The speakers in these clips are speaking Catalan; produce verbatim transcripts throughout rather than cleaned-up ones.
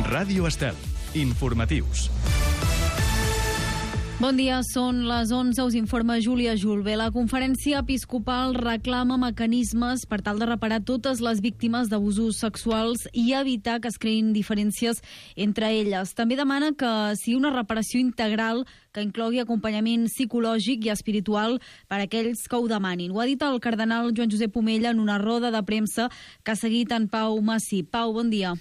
Ràdio Estel. Informatius. Bon dia, són les onze, us informa Júlia Julve. La conferència episcopal reclama mecanismes per tal de reparar totes les víctimes d'abusos sexuals i evitar que es creïn diferències entre elles. També demana que sigui una reparació integral que inclogui acompanyament psicològic i espiritual per a aquells que ho demanin. Ho ha dit el cardenal Joan Josep Omella en una roda de premsa que ha seguit en Pau Massí. Pau, bon dia.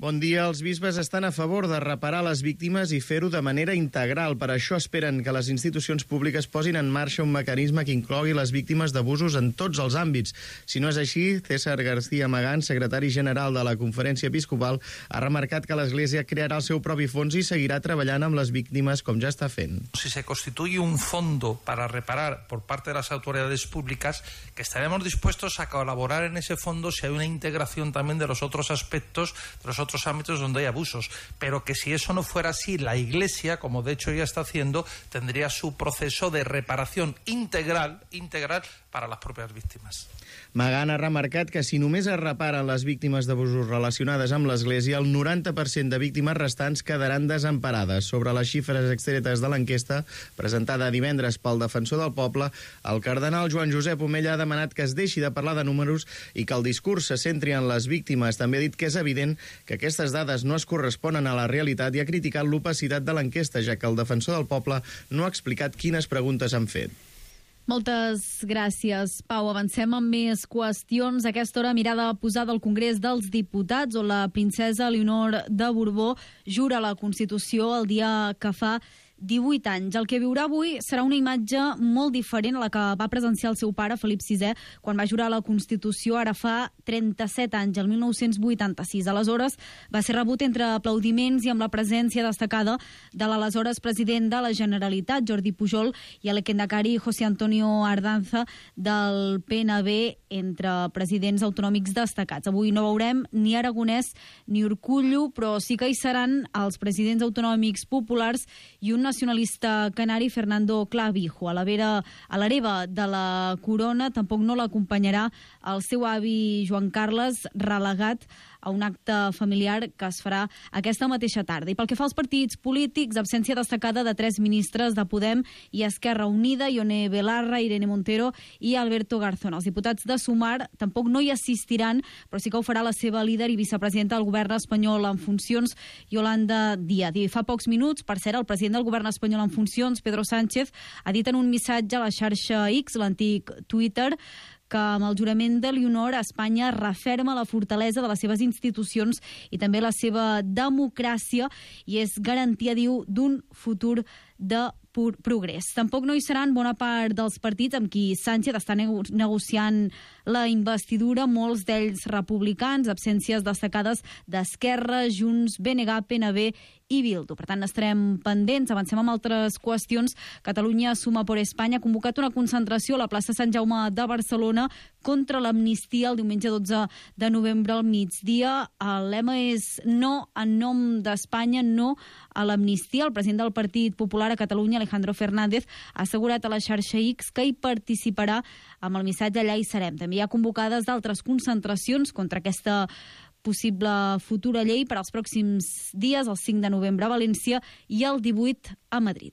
Bon dia. Els bisbes estan a favor de reparar les víctimes i fer-ho de manera integral. Per això esperen que les institucions públiques posin en marxa un mecanisme que inclogui les víctimes d'abusos en tots els àmbits. Si no és així, César García Magán, secretari general de la Conferència Episcopal, ha remarcat que l'Església crearà el seu propi fons i seguirà treballant amb les víctimes com ja està fent. Si se constituye un fondo para reparar por parte de las autoridades públicas, que estaremos dispuestos a colaborar en ese fondo si hay una integración también de los otros aspectos, de los otros otros ámbitos donde hay abusos, pero que si eso no fuera así, la Iglesia, como de hecho ya está haciendo, tendría su proceso de reparación integral, integral para las propias víctimas. Magán ha remarcat que si només es reparen les víctimes d'abusos relacionades amb l'Església, el noranta per cent de víctimes restants quedaran desemparades. Sobre les xifres extretes de l'enquesta, presentada divendres pel Defensor del Poble, el cardenal Joan Josep Omella ha demanat que es deixi de parlar de números i que el discurs se centri en les víctimes. També ha dit que és evident que aquestes dades no es corresponen a la realitat i ha criticat l'opacitat de l'enquesta, ja que el Defensor del Poble no ha explicat quines preguntes han fet. Moltes gràcies, Pau. Avancem amb més qüestions. A aquesta hora, mirada posada al Congrés dels Diputats, on la princesa Leonor de Borbó jura la Constitució el dia que fa divuit anys. El que viurà avui serà una imatge molt diferent a la que va presenciar el seu pare, Felip sisè, quan va jurar la Constitució ara fa trenta-set anys, el mil nou-cents vuitanta-sis. Aleshores, va ser rebut entre aplaudiments i amb la presència destacada de l'aleshores president de la Generalitat, Jordi Pujol, i el lehendakari José Antonio Ardanza del P N B, entre presidents autonòmics destacats. Avui no veurem ni Aragonès ni Urkullu, però sí que hi seran els presidents autonòmics populars i un nacionalista canari, Fernando Clavijo. A la vera, a l'hereva de la corona tampoc no l'acompanyarà el seu avi Joan Carles, relegat a un acte familiar que es farà aquesta mateixa tarda. I pel que fa als partits polítics, absència destacada de tres ministres de Podem i Esquerra Unida, Ione Belarra, Irene Montero i Alberto Garzón. Els diputats de Sumar tampoc no hi assistiran, però sí que ho farà la seva líder i vicepresidenta del govern espanyol en funcions, Yolanda Díaz. I fa pocs minuts, per cert, el president del govern espanyol en funcions, Pedro Sánchez, ha dit en un missatge a la xarxa X, l'antic Twitter, que amb el jurament de Leonor Espanya referma la fortalesa de les seves institucions i també la seva democràcia i és garantia, diu, d'un futur de pur progrés. Tampoc no hi seran bona part dels partits amb qui Sánchez està nego negociant la investidura, molts d'ells republicans, absències destacades d'Esquerra, Junts, B N G, P N B i Bildu. Per tant, estarem pendents. Avancem amb altres qüestions. Catalunya Suma por Espanya ha convocat una concentració a la plaça Sant Jaume de Barcelona contra l'amnistia el diumenge dotze de novembre al migdia. El lema és no en nom d'Espanya, no a l'amnistia. El president del Partit Popular a Catalunya, Alejandro Fernández, ha assegurat a la xarxa X que hi participarà amb el missatge allà hi serem. També hi ha convocades d'altres concentracions contra aquesta possible futura llei per als pròxims dies, el cinc de novembre a València i el divuit a Madrid.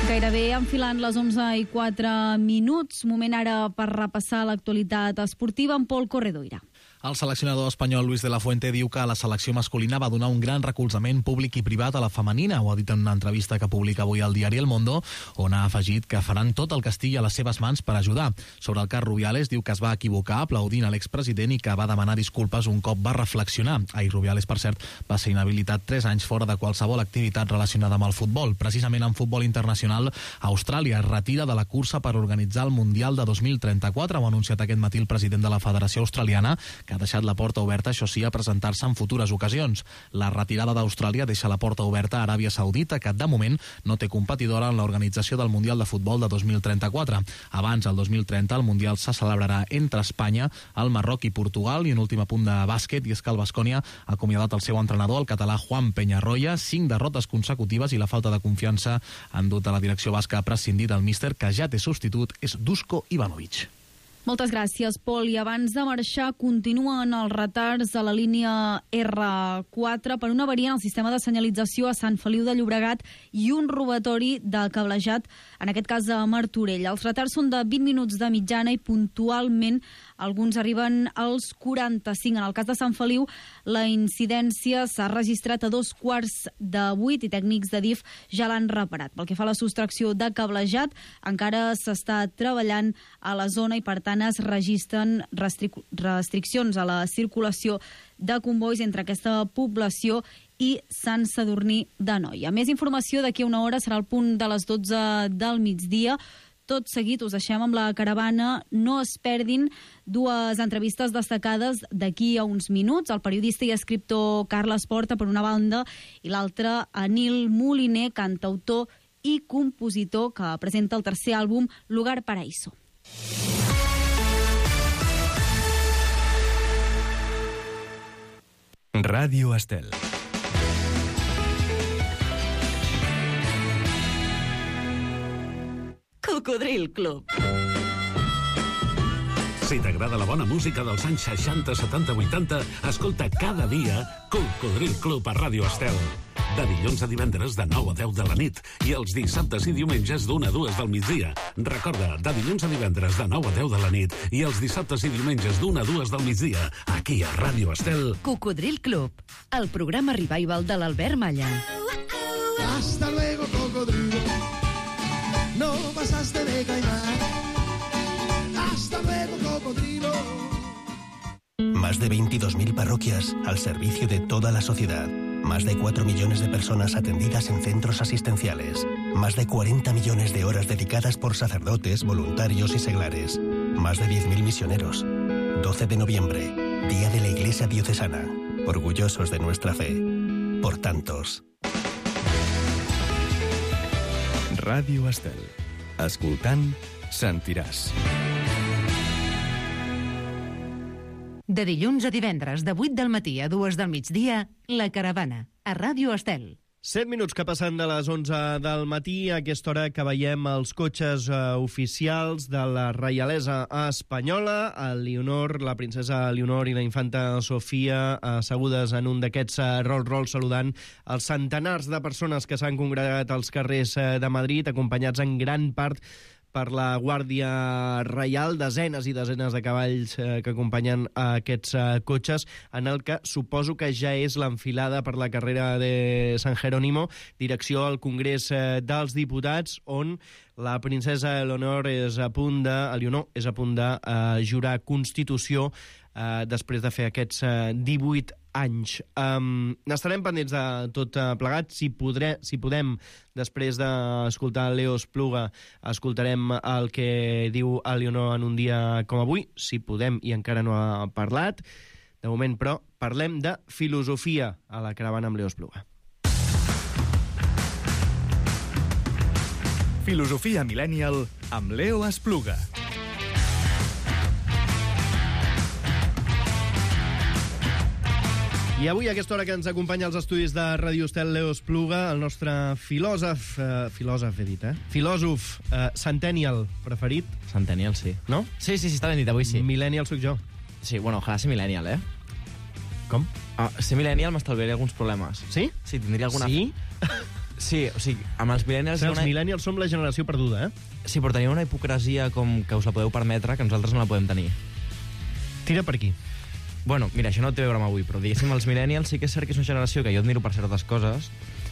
Gairebé enfilant les onze i quatre minuts, moment ara per repassar l'actualitat esportiva amb Pol Corredoira. El seleccionador espanyol Luis de la Fuente diu que la selecció masculina va donar un gran recolzament públic i privat a la femenina. Ho ha dit en una entrevista que publica avui al diari El Mundo, on ha afegit que faran tot el que estigui a les seves mans per ajudar. Sobre el cas Rubiales, diu que es va equivocar aplaudint a l'expresident i que va demanar disculpes un cop va reflexionar. Ahir Rubiales, per cert, va ser inhabilitat tres anys fora de qualsevol activitat relacionada amb el futbol. Precisament en futbol internacional, Austràlia es retira de la cursa per organitzar el Mundial de dos mil trenta-quatre. Ho ha anunciat aquest matí el president de la Federació Australiana, que ha deixat la porta oberta, això sí, a presentar-se en futures ocasions. La retirada d'Austràlia deixa la porta oberta a Aràbia Saudita, que de moment no té competidora en l'organització del Mundial de Futbol de dos mil trenta-quatre. Abans, el dos mil trenta, el Mundial se celebrarà entre Espanya, el Marroc i Portugal. I un últim apunt de bàsquet, i és que el Baskonia ha acomiadat el seu entrenador, el català Juan Peñarroya. Cinc derrotes consecutives i la falta de confiança han dut a la direcció basca a prescindir del míster, que ja té substitut, és Duško Ivanović. Moltes gràcies, Pol. I abans de marxar, continuen els retards a la línia erre quatre per una avaria en el sistema de senyalització a Sant Feliu de Llobregat i un robatori de cablejat, en aquest cas a Martorell. Els retards són de vint minuts de mitjana i puntualment alguns arriben als quaranta-cinc. En el cas de Sant Feliu, la incidència s'ha registrat a dos quarts de vuit i tècnics de D I F ja l'han reparat. Pel que fa a la sostracció de cablejat, encara s'està treballant a la zona i, per tant, es registren restric- restriccions a la circulació de convois entre aquesta població i Sant Sadurní d'Anoia. Més informació d'aquí a una hora, serà el punt de les dotze del migdia. Tot seguit us deixem amb la caravana. No es perdin dues entrevistes destacades d'aquí a uns minuts. El periodista i escriptor Carles Porta, per una banda, i l'altra, Anil Moliner, cantautor i compositor, que presenta el tercer àlbum, Lugar Paraíso. Ràdio Estel. Cocodril Club. Si t'agrada la bona música dels anys seixanta, setanta, vuitanta, escolta cada dia Cocodril Club a Ràdio Estel. De dilluns a divendres de nou a deu de la nit i els dissabtes i diumenges d'una a dues del migdia. Recorda, de dilluns a divendres de nou a deu de la nit i els dissabtes i diumenges d'una a dues del migdia, aquí a Ràdio Estel. Cocodril Club, el programa revival de l'Albert Malla. Hasta luego, cocodrilo. No pasaste de caimán. Hasta luego, cocodrilo. Más de veintidós mil parroquias al servicio de toda la sociedad. Más de cuatro millones de personas atendidas en centros asistenciales. Más de cuarenta millones de horas dedicadas por sacerdotes, voluntarios y seglares. Más de diez mil misioneros. doce de noviembre, Día de la Iglesia Diocesana. Orgullosos de nuestra fe. Por tantos. Ràdio Estel. Escoltant, sentiràs. De dilluns a divendres, de vuit del matí a dues del migdia, La Caravana, a Ràdio Estel. Set minuts que passen de les onze del matí, a aquesta hora que veiem els cotxes eh, oficials de la reialesa espanyola, el Leonor, la princesa Leonor i la infanta Sofia assegudes en un d'aquests eh, Rolls-Royce saludant els centenars de persones que s'han congregat als carrers eh, de Madrid, acompanyats en gran part per la Guàrdia Reial, desenes i desenes de cavalls eh, que acompanyen aquests eh, cotxes, en el que suposo que ja és l'enfilada per la carrera de San Jerónimo, direcció al Congrés eh, dels Diputats, on la princesa Eleonor és a punt de, Eleonor és a punt de eh, jurar Constitució eh, després de fer aquests eh, divuit anys. Um, n'estarem pendents de tot uh, plegat. Si, podré, si podem, després d'escoltar Leo Espluga, escoltarem el que diu Eleonor en un dia com avui. Si podem, i encara no ha parlat. De moment, però, parlem de filosofia a la caravana amb Leo Espluga. Filosofia Millennial amb Leo Espluga. I avui, a aquesta hora que ens acompanya als estudis de Ràdio Estel, Leo Espluga, el nostre filòsof, eh, filòsof he dit, eh? Filòsof eh, centennial preferit, Centennial, sí. no? Sí, sí, sí, està ben dit, avui sí. Millennial sóc jo. Sí, bueno, ojalà ser millennial, eh? Com? Ah, ser millennial m'estalviaria alguns problemes. Sí? Sí, tindria alguna... Sí? Sí, o sigui, amb els millennials... Els una... millennials som la generació perduda, eh? Sí, però tenim una hipocresia com que us la podeu permetre que nosaltres no la podem tenir. Tira per aquí. Bueno, mira, això no té a veure amb avui, però diguéssim, els millennials sí que és cert que és una generació que jo admiro per certes coses,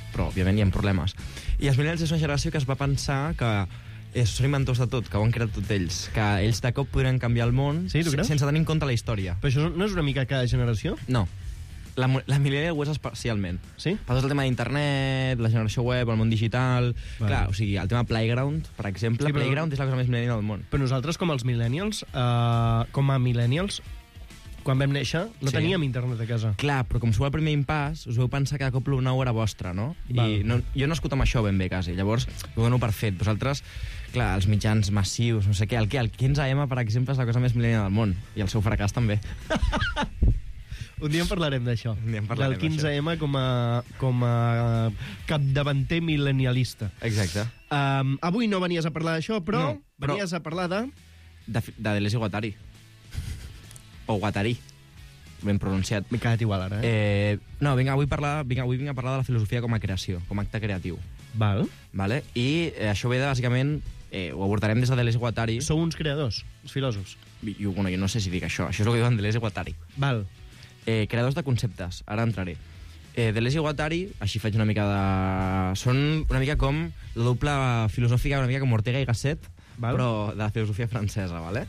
però, òbviament, hi ha problemes. I els millennials és una generació que es va pensar que eh, són inventors de tot, que ho han creat tot ells, que ells de cop podrien canviar el món Sí, tu creus? sense tenir en compte la història. Però això no és una mica cada generació? No. La, la millennial ho és especialment. Sí? Per tot el tema d'internet, la generació web, el món digital... Vale. Clar, o sigui, el tema Playground, per exemple, Sí, però- Playground és la cosa més millennial del món. Però nosaltres, com els millennials, eh, com a millennials, quan vam néixer, no Sí. teníem internet a casa. Clar, però com sou el primer impàs, us vau pensar que de cop l'u nou era vostre, no? Val. I no, jo no he escut amb això ben bé, quasi. Llavors, ho dono per fet. Vosaltres, clar, els mitjans massius, no sé què, el, què, el quinze eme, per exemple, és la cosa més millennial del món. I el seu fracàs també. Un dia en parlarem d'això. Un dia en parlarem Del quinze eme com a, com a capdavanter mil·lenialista. Exacte. Um, avui no venies a parlar d'això, però No, però- venies a parlar de... De, de Deleuze i Guattari. O Guattari, ben pronunciat. M'he quedat igual ara, eh? eh no, vinc, avui, parlar, vinc, avui vinc a parlar de la filosofia com a creació, com a acte creatiu. Val. Vale? I eh, això ve de, bàsicament, eh, ho abordarem des de Deleuze i Guattari. Sou uns creadors, els filòsofs. Jo, bueno, jo no sé si dic això, això és el que diuen Deleuze i Guattari. Val. Eh, creadors de conceptes, ara entraré. Eh, Deleuze i Guattari, així faig una mica de... Són una mica com la doble filosòfica, una mica com Ortega i Gasset, val, però de la filosofia francesa, vale?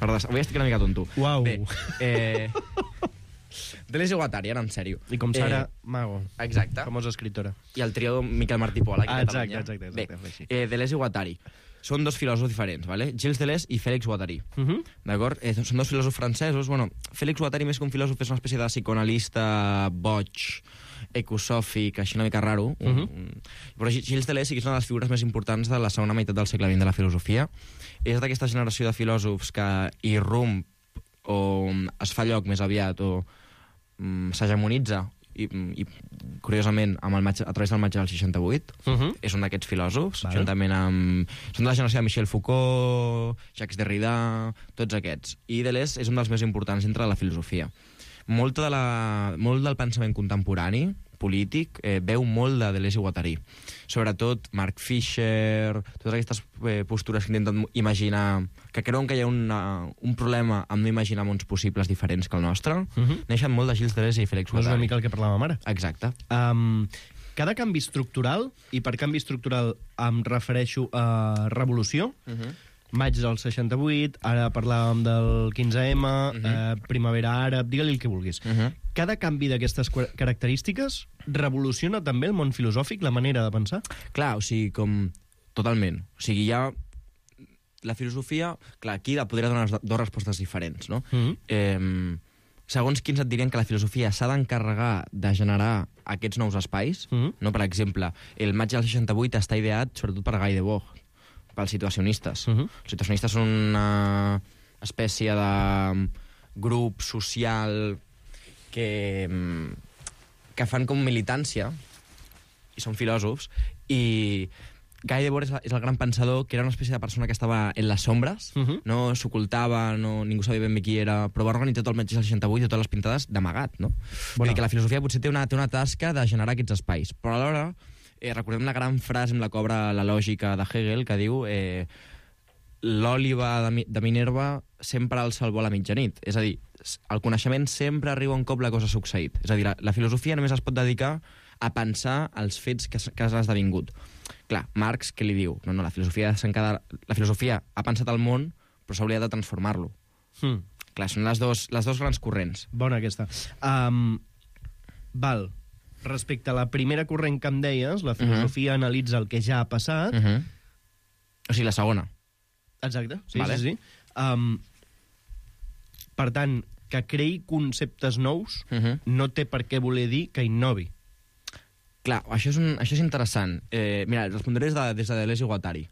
Perdó, avui estic una mica tonto. Uau. Bé, eh... Deleuze i Guattari, ara en sèrio. I com Sara eh... Mago. Exacte. Famosa escriptora. I el trio Miquel Martí Pol, aquí ah, a exacte, Catalunya. exacte, exacte. Bé, eh, Deleuze i Guattari. Són dos filòsofs diferents, vale? Gilles Deleuze i Félix Guattari. Uh -huh. D'acord? Eh, són dos filòsofs francesos. Bueno, Félix Guattari, més que un filòsof, és una espècie de psicoanalista boig, ecosòfic, així una mica raro. Uh -huh. Però Gilles Deleuze sí que és una de les figures més importants de la segona meitat del segle vint de la filosofia. És d'aquesta generació de filòsofs que irrump o es fa lloc més aviat o mm, s'hegemonitza i, i curiosament amb el maig, a través del maig del seixanta-vuit. Uh -huh. És un d'aquests filòsofs, vale, juntament amb... Són de la generació de Michel Foucault, Jacques Derrida, tots aquests. I Deleuze és un dels més importants dintre de la filosofia. Molta de la, molt del pensament contemporani, polític, eh, veu molt de Deleuze i Guattari. Sobretot Mark Fisher, totes aquestes eh, postures que intenten imaginar, que creuen que hi ha una, un problema amb no imaginar mons possibles diferents que el nostre, uh -huh, neixen molt de Gilles Deleuze i Félix Guattari. No és una mica el que parlàvem ara. Exacte. Um, cada canvi estructural, i per canvi estructural em refereixo a revolució, uh -huh, maig del seixanta-vuit, ara parlàvem del quinze ema, uh -huh, eh, primavera àrab, digue-li el que vulguis. Uh -huh. Cada canvi d'aquestes característiques revoluciona també el món filosòfic, la manera de pensar? Clar, o sigui, com... Totalment. O sigui, hi ha... La filosofia... Clar, aquí podria donar dues respostes diferents, no? Uh -huh. eh, segons quins et dirien que la filosofia s'ha d'encarregar de generar aquests nous espais, uh -huh, no? Per exemple, el maig del seixanta-vuit està ideat sobretot per Guy Debord, pels situacionistes. Uh -huh. Els situacionistes són una espècie de grup social que, que fan com militància, i són filòsofs, i Guy Debord és, és el gran pensador, que era una espècie de persona que estava en les sombres, uh -huh, no s'ocultava, no, ningú sabia ben bé qui era, però va organitzar tot el maig del seixanta-vuit i totes les pintades d'amagat, no? Bueno. Vull dir que la filosofia potser té una, té una tasca de generar aquests espais, però alhora Eh, recordem la gran frase amb la que obre la lògica de Hegel, que diu eh, l'òliba de, de Minerva sempre alça el vol a mitjanit. És a dir, el coneixement sempre arriba un cop la cosa ha succeït. És a dir, la, la filosofia només es pot dedicar a pensar els fets que, que has esdevingut. Clar, Marx, què li diu? No, no, la filosofia, la filosofia ha pensat el món, però s'hauria de transformar-lo. Hmm. Clar, són les dos, les dos grans corrents. Bona aquesta. Um, val. Respecte a la primera corrent que em deies, la filosofia uh -huh, analitza el que ja ha passat. Uh -huh. O sigui, la segona. Exacte, sí, vale, sí, sí. Um, per tant, que creï conceptes nous uh -huh, no té per què voler dir que innovi. Clar, això és, un, això és interessant. Eh, mira, respondré des de, des de Deleuze i Guattari.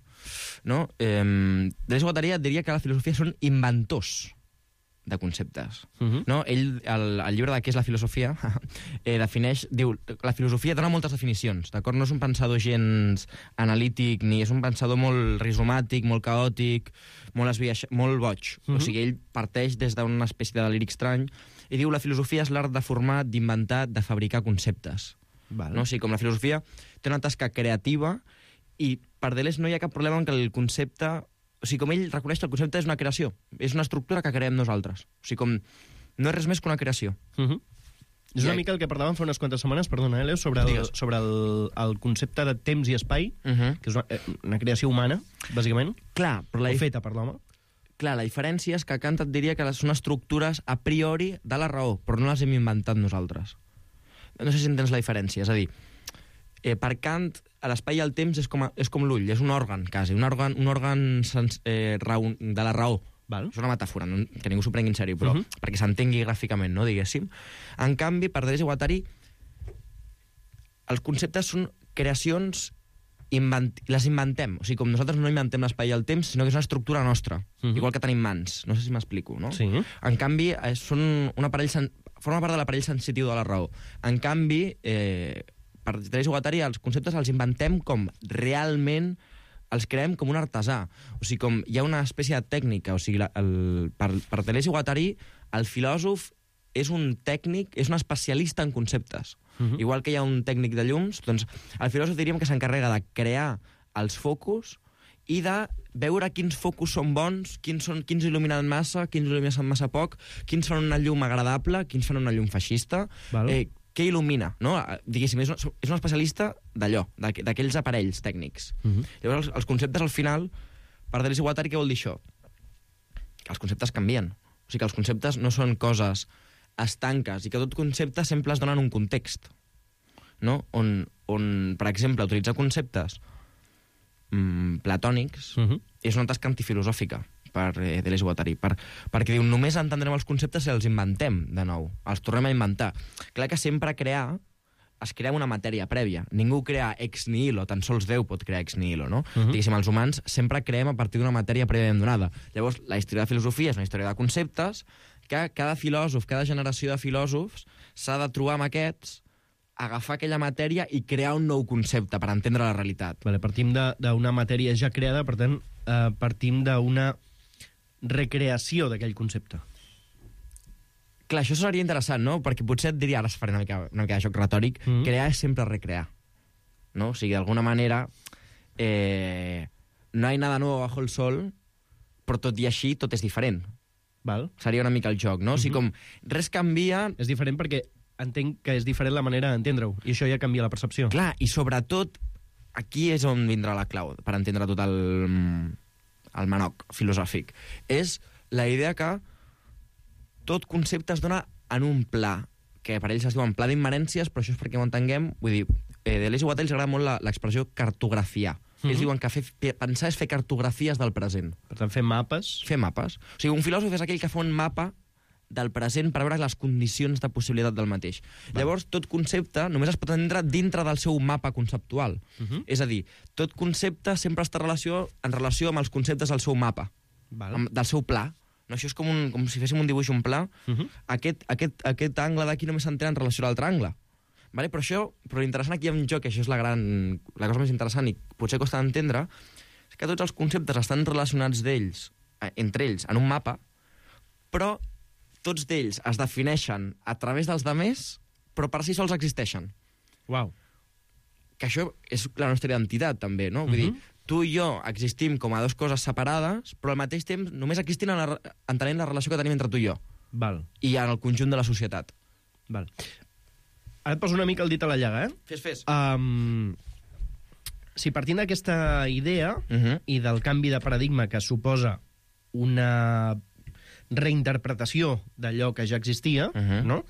No? Eh, Deleuze i Guattari et diria que la filosofia són inventors de conceptes. Uh -huh. No? Ell, el, el llibre de què és la filosofia, eh, defineix, diu, la filosofia dona moltes definicions, d'acord? No és un pensador gens analític, ni és un pensador molt rizomàtic, molt caòtic, molt, esbiaix, molt boig. Uh -huh. O sigui, ell parteix des d'una espècie de deliri estrany i diu la filosofia és l'art de formar, d'inventar, de fabricar conceptes. Val. No? O sigui, com la filosofia té una tasca creativa i per Deleuze no hi ha cap problema en que el concepte... O sigui, com ell reconeix que el concepte és una creació, és una estructura que creem nosaltres. O sigui, com no és res més que una creació. Uh -huh. És una I... mica el que parlàvem fa unes quantes setmanes, perdona, eh, Leo, sobre el, sobre el, el concepte de temps i espai, uh -huh, que és una, una creació humana, bàsicament, clar, però la... o feta per l'home. Clar, la diferència és que Kant et diria que són estructures a priori de la raó, però no les hem inventat nosaltres. No sé si entens la diferència, és a dir, eh, per Kant l'espai i el temps és com, a, és com l'ull, és un òrgan, quasi, un òrgan, un òrgan sens, eh, raó, de la raó. Val. És una metàfora, no, que ningú s'ho prengui en sèrio, però uh -huh, perquè s'entengui gràficament, no, diguéssim. En canvi, per Deleuze i Guattari, els conceptes són creacions, invent... les inventem. O sigui, com nosaltres no inventem l'espai i el temps, sinó que és una estructura nostra, uh -huh, igual que tenim mans. No sé si m'explico, no? Sí. En canvi, eh, són un aparell sen... forma part de l'aparell sensitiu de la raó. En canvi, eh, per Deleuze i Guattari, els conceptes els inventem com realment els creem com un artesà. O sigui, com hi ha una espècie de tècnica. O sigui, la, el, per, per Deleuze i Guattari, el filòsof és un tècnic, és un especialista en conceptes. Uh-huh. Igual que hi ha un tècnic de llums, doncs el filòsof diríem que s'encarrega de crear els focus i de veure quins focus són bons, quins, són, quins il·luminen massa, quins il·luminen massa poc, quins fan una llum agradable, quins fan una llum feixista, eh, què il·lumina, no? Diguéssim, és un, és un especialista d'allò, d'aquells aparells tècnics. Uh-huh. Llavors, els, els conceptes, al final, per Deleuze i Guattari, què vol dir això? Que els conceptes canvien. O sigui, que els conceptes no són coses estanques i que tot concepte sempre es dona en un context, no? On, on per exemple, utilitzar conceptes mm, platònics uh-huh. és una tasca antifilosòfica per eh, Deleuze i Guattari, per, perquè diu, només entendrem els conceptes si els inventem de nou, els tornem a inventar. Clar que sempre crear es crea una matèria prèvia. Ningú crea ex nihilo, tan sols Déu pot crear ex nihilo, no? Uh-huh. Diguéssim, els humans sempre creem a partir d'una matèria prèvia donada. Llavors, la història de filosofia és una història de conceptes que cada filòsof, cada generació de filòsofs s'ha de trobar amb aquests, agafar aquella matèria i crear un nou concepte per entendre la realitat. Vale, partim d'una matèria ja creada, per tant, eh, partim d'una recreació d'aquell concepte. Clar, això seria interessant, no? Perquè potser et diria, ara es faré una mica, una mica de joc retòric, mm. crear és sempre recrear, no? O sigui, d'alguna manera, eh, no hay nada nuevo bajo el sol, però tot i així, tot és diferent. Val. Seria una mica el joc, no? Mm-hmm. O sigui, com res canvia... És diferent perquè entenc que és diferent la manera d'entendre-ho, i això ja canvia la percepció. Clar, i sobretot, aquí és on vindrà la clau, per entendre tot el... el manoc filosòfic, és la idea que tot concepte es dona en un pla, que per ells es diuen pla d'immanències, però això és perquè ho entenguem, vull dir, eh, Deleuze i Guattari els agrada molt l'expressió cartografiar. Mm-hmm. Ells diuen que fer, pensar és fer cartografies del present. Per tant, fer mapes. Fer mapes. O sigui, un filòsof és aquell que fa un mapa del present per veure les condicions de possibilitat del mateix. Va. Llavors, tot concepte només es pot entendre dintre del seu mapa conceptual. Uh-huh. És a dir, tot concepte sempre està relació, en relació amb els conceptes del seu mapa, amb, del seu pla. No, això és com, un, com si féssim un dibuix, un pla. Uh-huh. Aquest, aquest, aquest angle d'aquí només s'entén en relació a l'altre angle. Vale? Però això, però l'interessant aquí en joc, això és la, gran, la cosa més interessant i potser costa d'entendre, és que tots els conceptes estan relacionats d'ells, entre ells, en un mapa, però tots d'ells es defineixen a través dels demés, però per si sols existeixen. Uau. Que això és la nostra identitat, també, no? Vull uh-huh. dir, tu i jo existim com a dues coses separades, però al mateix temps només existim en la, entenent la relació que tenim entre tu i jo. Val. I en el conjunt de la societat. Val. Ara et poso una mica el dit a la llaga, eh? Fes, fes. Um, si partint d'aquesta idea uh-huh. i del canvi de paradigma que suposa una reinterpretació d'allò que ja existia, uh-huh. no?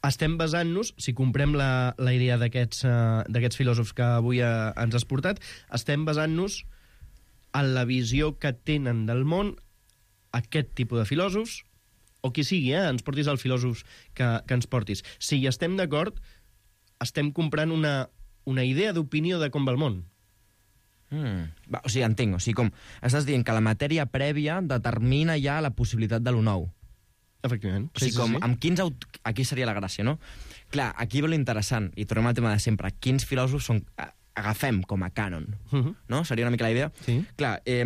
Estem basant-nos, si comprem la, la idea d'aquests uh, d'aquests filòsofs que avui uh, ens has portat, estem basant-nos en la visió que tenen del món aquest tipus de filòsofs, o qui sigui, eh? Ens portis els filòsofs que, que ens portis. Si hi estem d'acord, estem comprant una, una idea d'opinió de com va el món. Mm. Va, o sigui, entenc. O sigui, com estàs dient que la matèria prèvia determina ja la possibilitat de lo nou. Efectivament. O sigui, sí, sí, com, sí. amb quins aut... Aquí seria la gràcia, no? Clar, aquí ve l'interessant, i tornem al tema de sempre. Quins filòsofs són... agafem com a cànon, uh-huh. no? Seria una mica la idea. Sí. Clar, eh,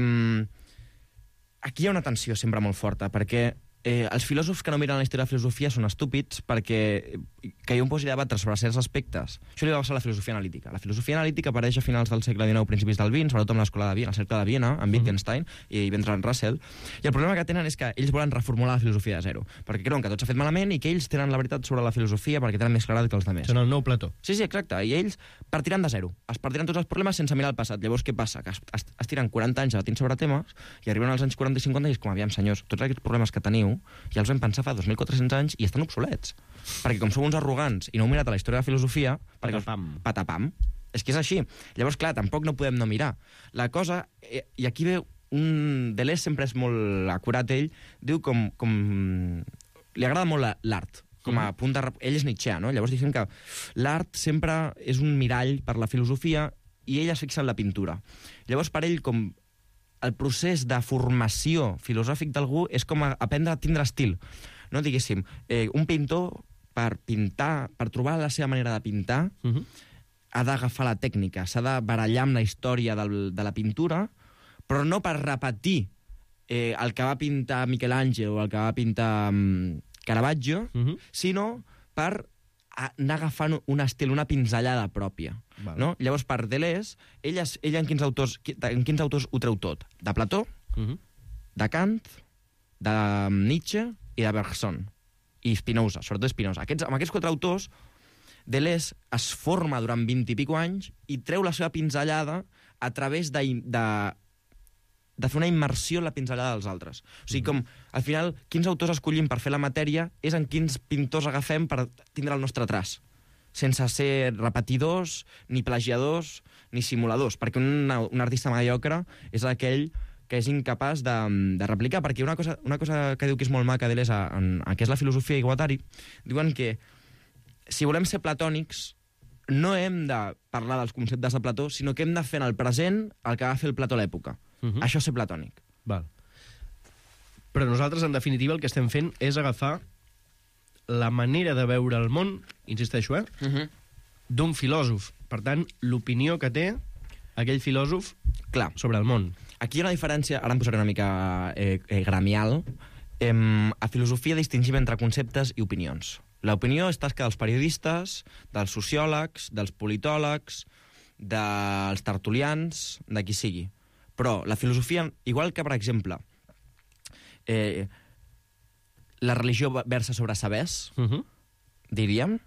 aquí hi ha una tensió sempre molt forta, perquè eh, els filòsofs que no miren la història de la filosofia són estúpids perquè que jo em posi a debatre sobre certs aspectes. Això li va passar a la filosofia analítica. La filosofia analítica apareix a finals del segle dinou, principis del vint, sobretot amb l'escola de Viena, el cercle de Viena, amb Wittgenstein uh-huh. i Bertrand Russell. I el problema que tenen és que ells volen reformular la filosofia de zero, perquè creuen que tot s'ha fet malament i que ells tenen la veritat sobre la filosofia perquè tenen més claredat que els altres. Són el nou Plató. Sí, sí, exacte. I ells partiran de zero. Es partiran tots els problemes sense mirar el passat. Llavors, què passa? Que es, es, es tiren quaranta anys debatint sobre temes i arriben als anys quaranta i cinquanta i és com, aviam, senyors, tots aquests problemes que teniu ja els vam pensar fa dos mil quatre-cents anys i estan obsolets. Perquè com sou uns arrogants i no heu mirat a la història de la filosofia... Patapam. Patapam. És que és així. Llavors, clar, tampoc no podem no mirar. La cosa... Eh, I aquí ve un... Deleuze sempre és molt acurat, ell. Diu com... com... Li agrada molt l'art. Com a punt de... Ell és Nietzsche, no? Llavors diguem que l'art sempre és un mirall per la filosofia i ell es fixa en la pintura. Llavors, per ell, com el procés de formació filosòfic d'algú és com aprendre a tindre estil. No, diguéssim, eh, un pintor, per pintar, per trobar la seva manera de pintar, uh-huh. ha d'agafar la tècnica, s'ha de barallar amb la història del, de la pintura, però no per repetir eh, el que va pintar Michelangelo o el que va pintar um, Caravaggio, uh-huh. sinó per anar agafant un estil, una pinzellada pròpia. Vale. No? Llavors, per Deleuze, ella, ella en, quins autors, en quins autors ho treu tot? De Plató, uh-huh. de Kant, de Nietzsche i de Bergson. I Spinoza, sobretot Spinoza. Aquests, amb aquests quatre autors, Deleuze es forma durant vint i pico anys i treu la seva pinzellada a través de, de, de fer una immersió en la pinzellada dels altres. O sigui, com, al final, quins autors escollim per fer la matèria és en quins pintors agafem per tindre el nostre traç, sense ser repetidors, ni plagiadors, ni simuladors, perquè un, un artista mediocre és aquell que és incapaç de, de replicar, perquè una cosa, una cosa que diu que és molt maca Deleuze en, en què és la filosofia i Guattari, diuen que si volem ser platònics, no hem de parlar dels conceptes de Plató, sinó que hem de fer en el present el que va fer el Plató a l'època. Uh-huh. Això és ser platònic. Val. Però nosaltres, en definitiva, el que estem fent és agafar la manera de veure el món, insisteixo, eh? Uh-huh. d'un filòsof. Per tant, l'opinió que té aquell filòsof Clar. sobre el món. Aquí hi ha una diferència, ara em posaré una mica eh, eh, gramial. Eh, a filosofia distingim entre conceptes i opinions. L'opinió és tasca dels periodistes, dels sociòlegs, dels politòlegs, dels tertulians, de qui sigui. Però la filosofia, igual que, per exemple, eh, la religió versa sobre sabers, uh-huh. diríem,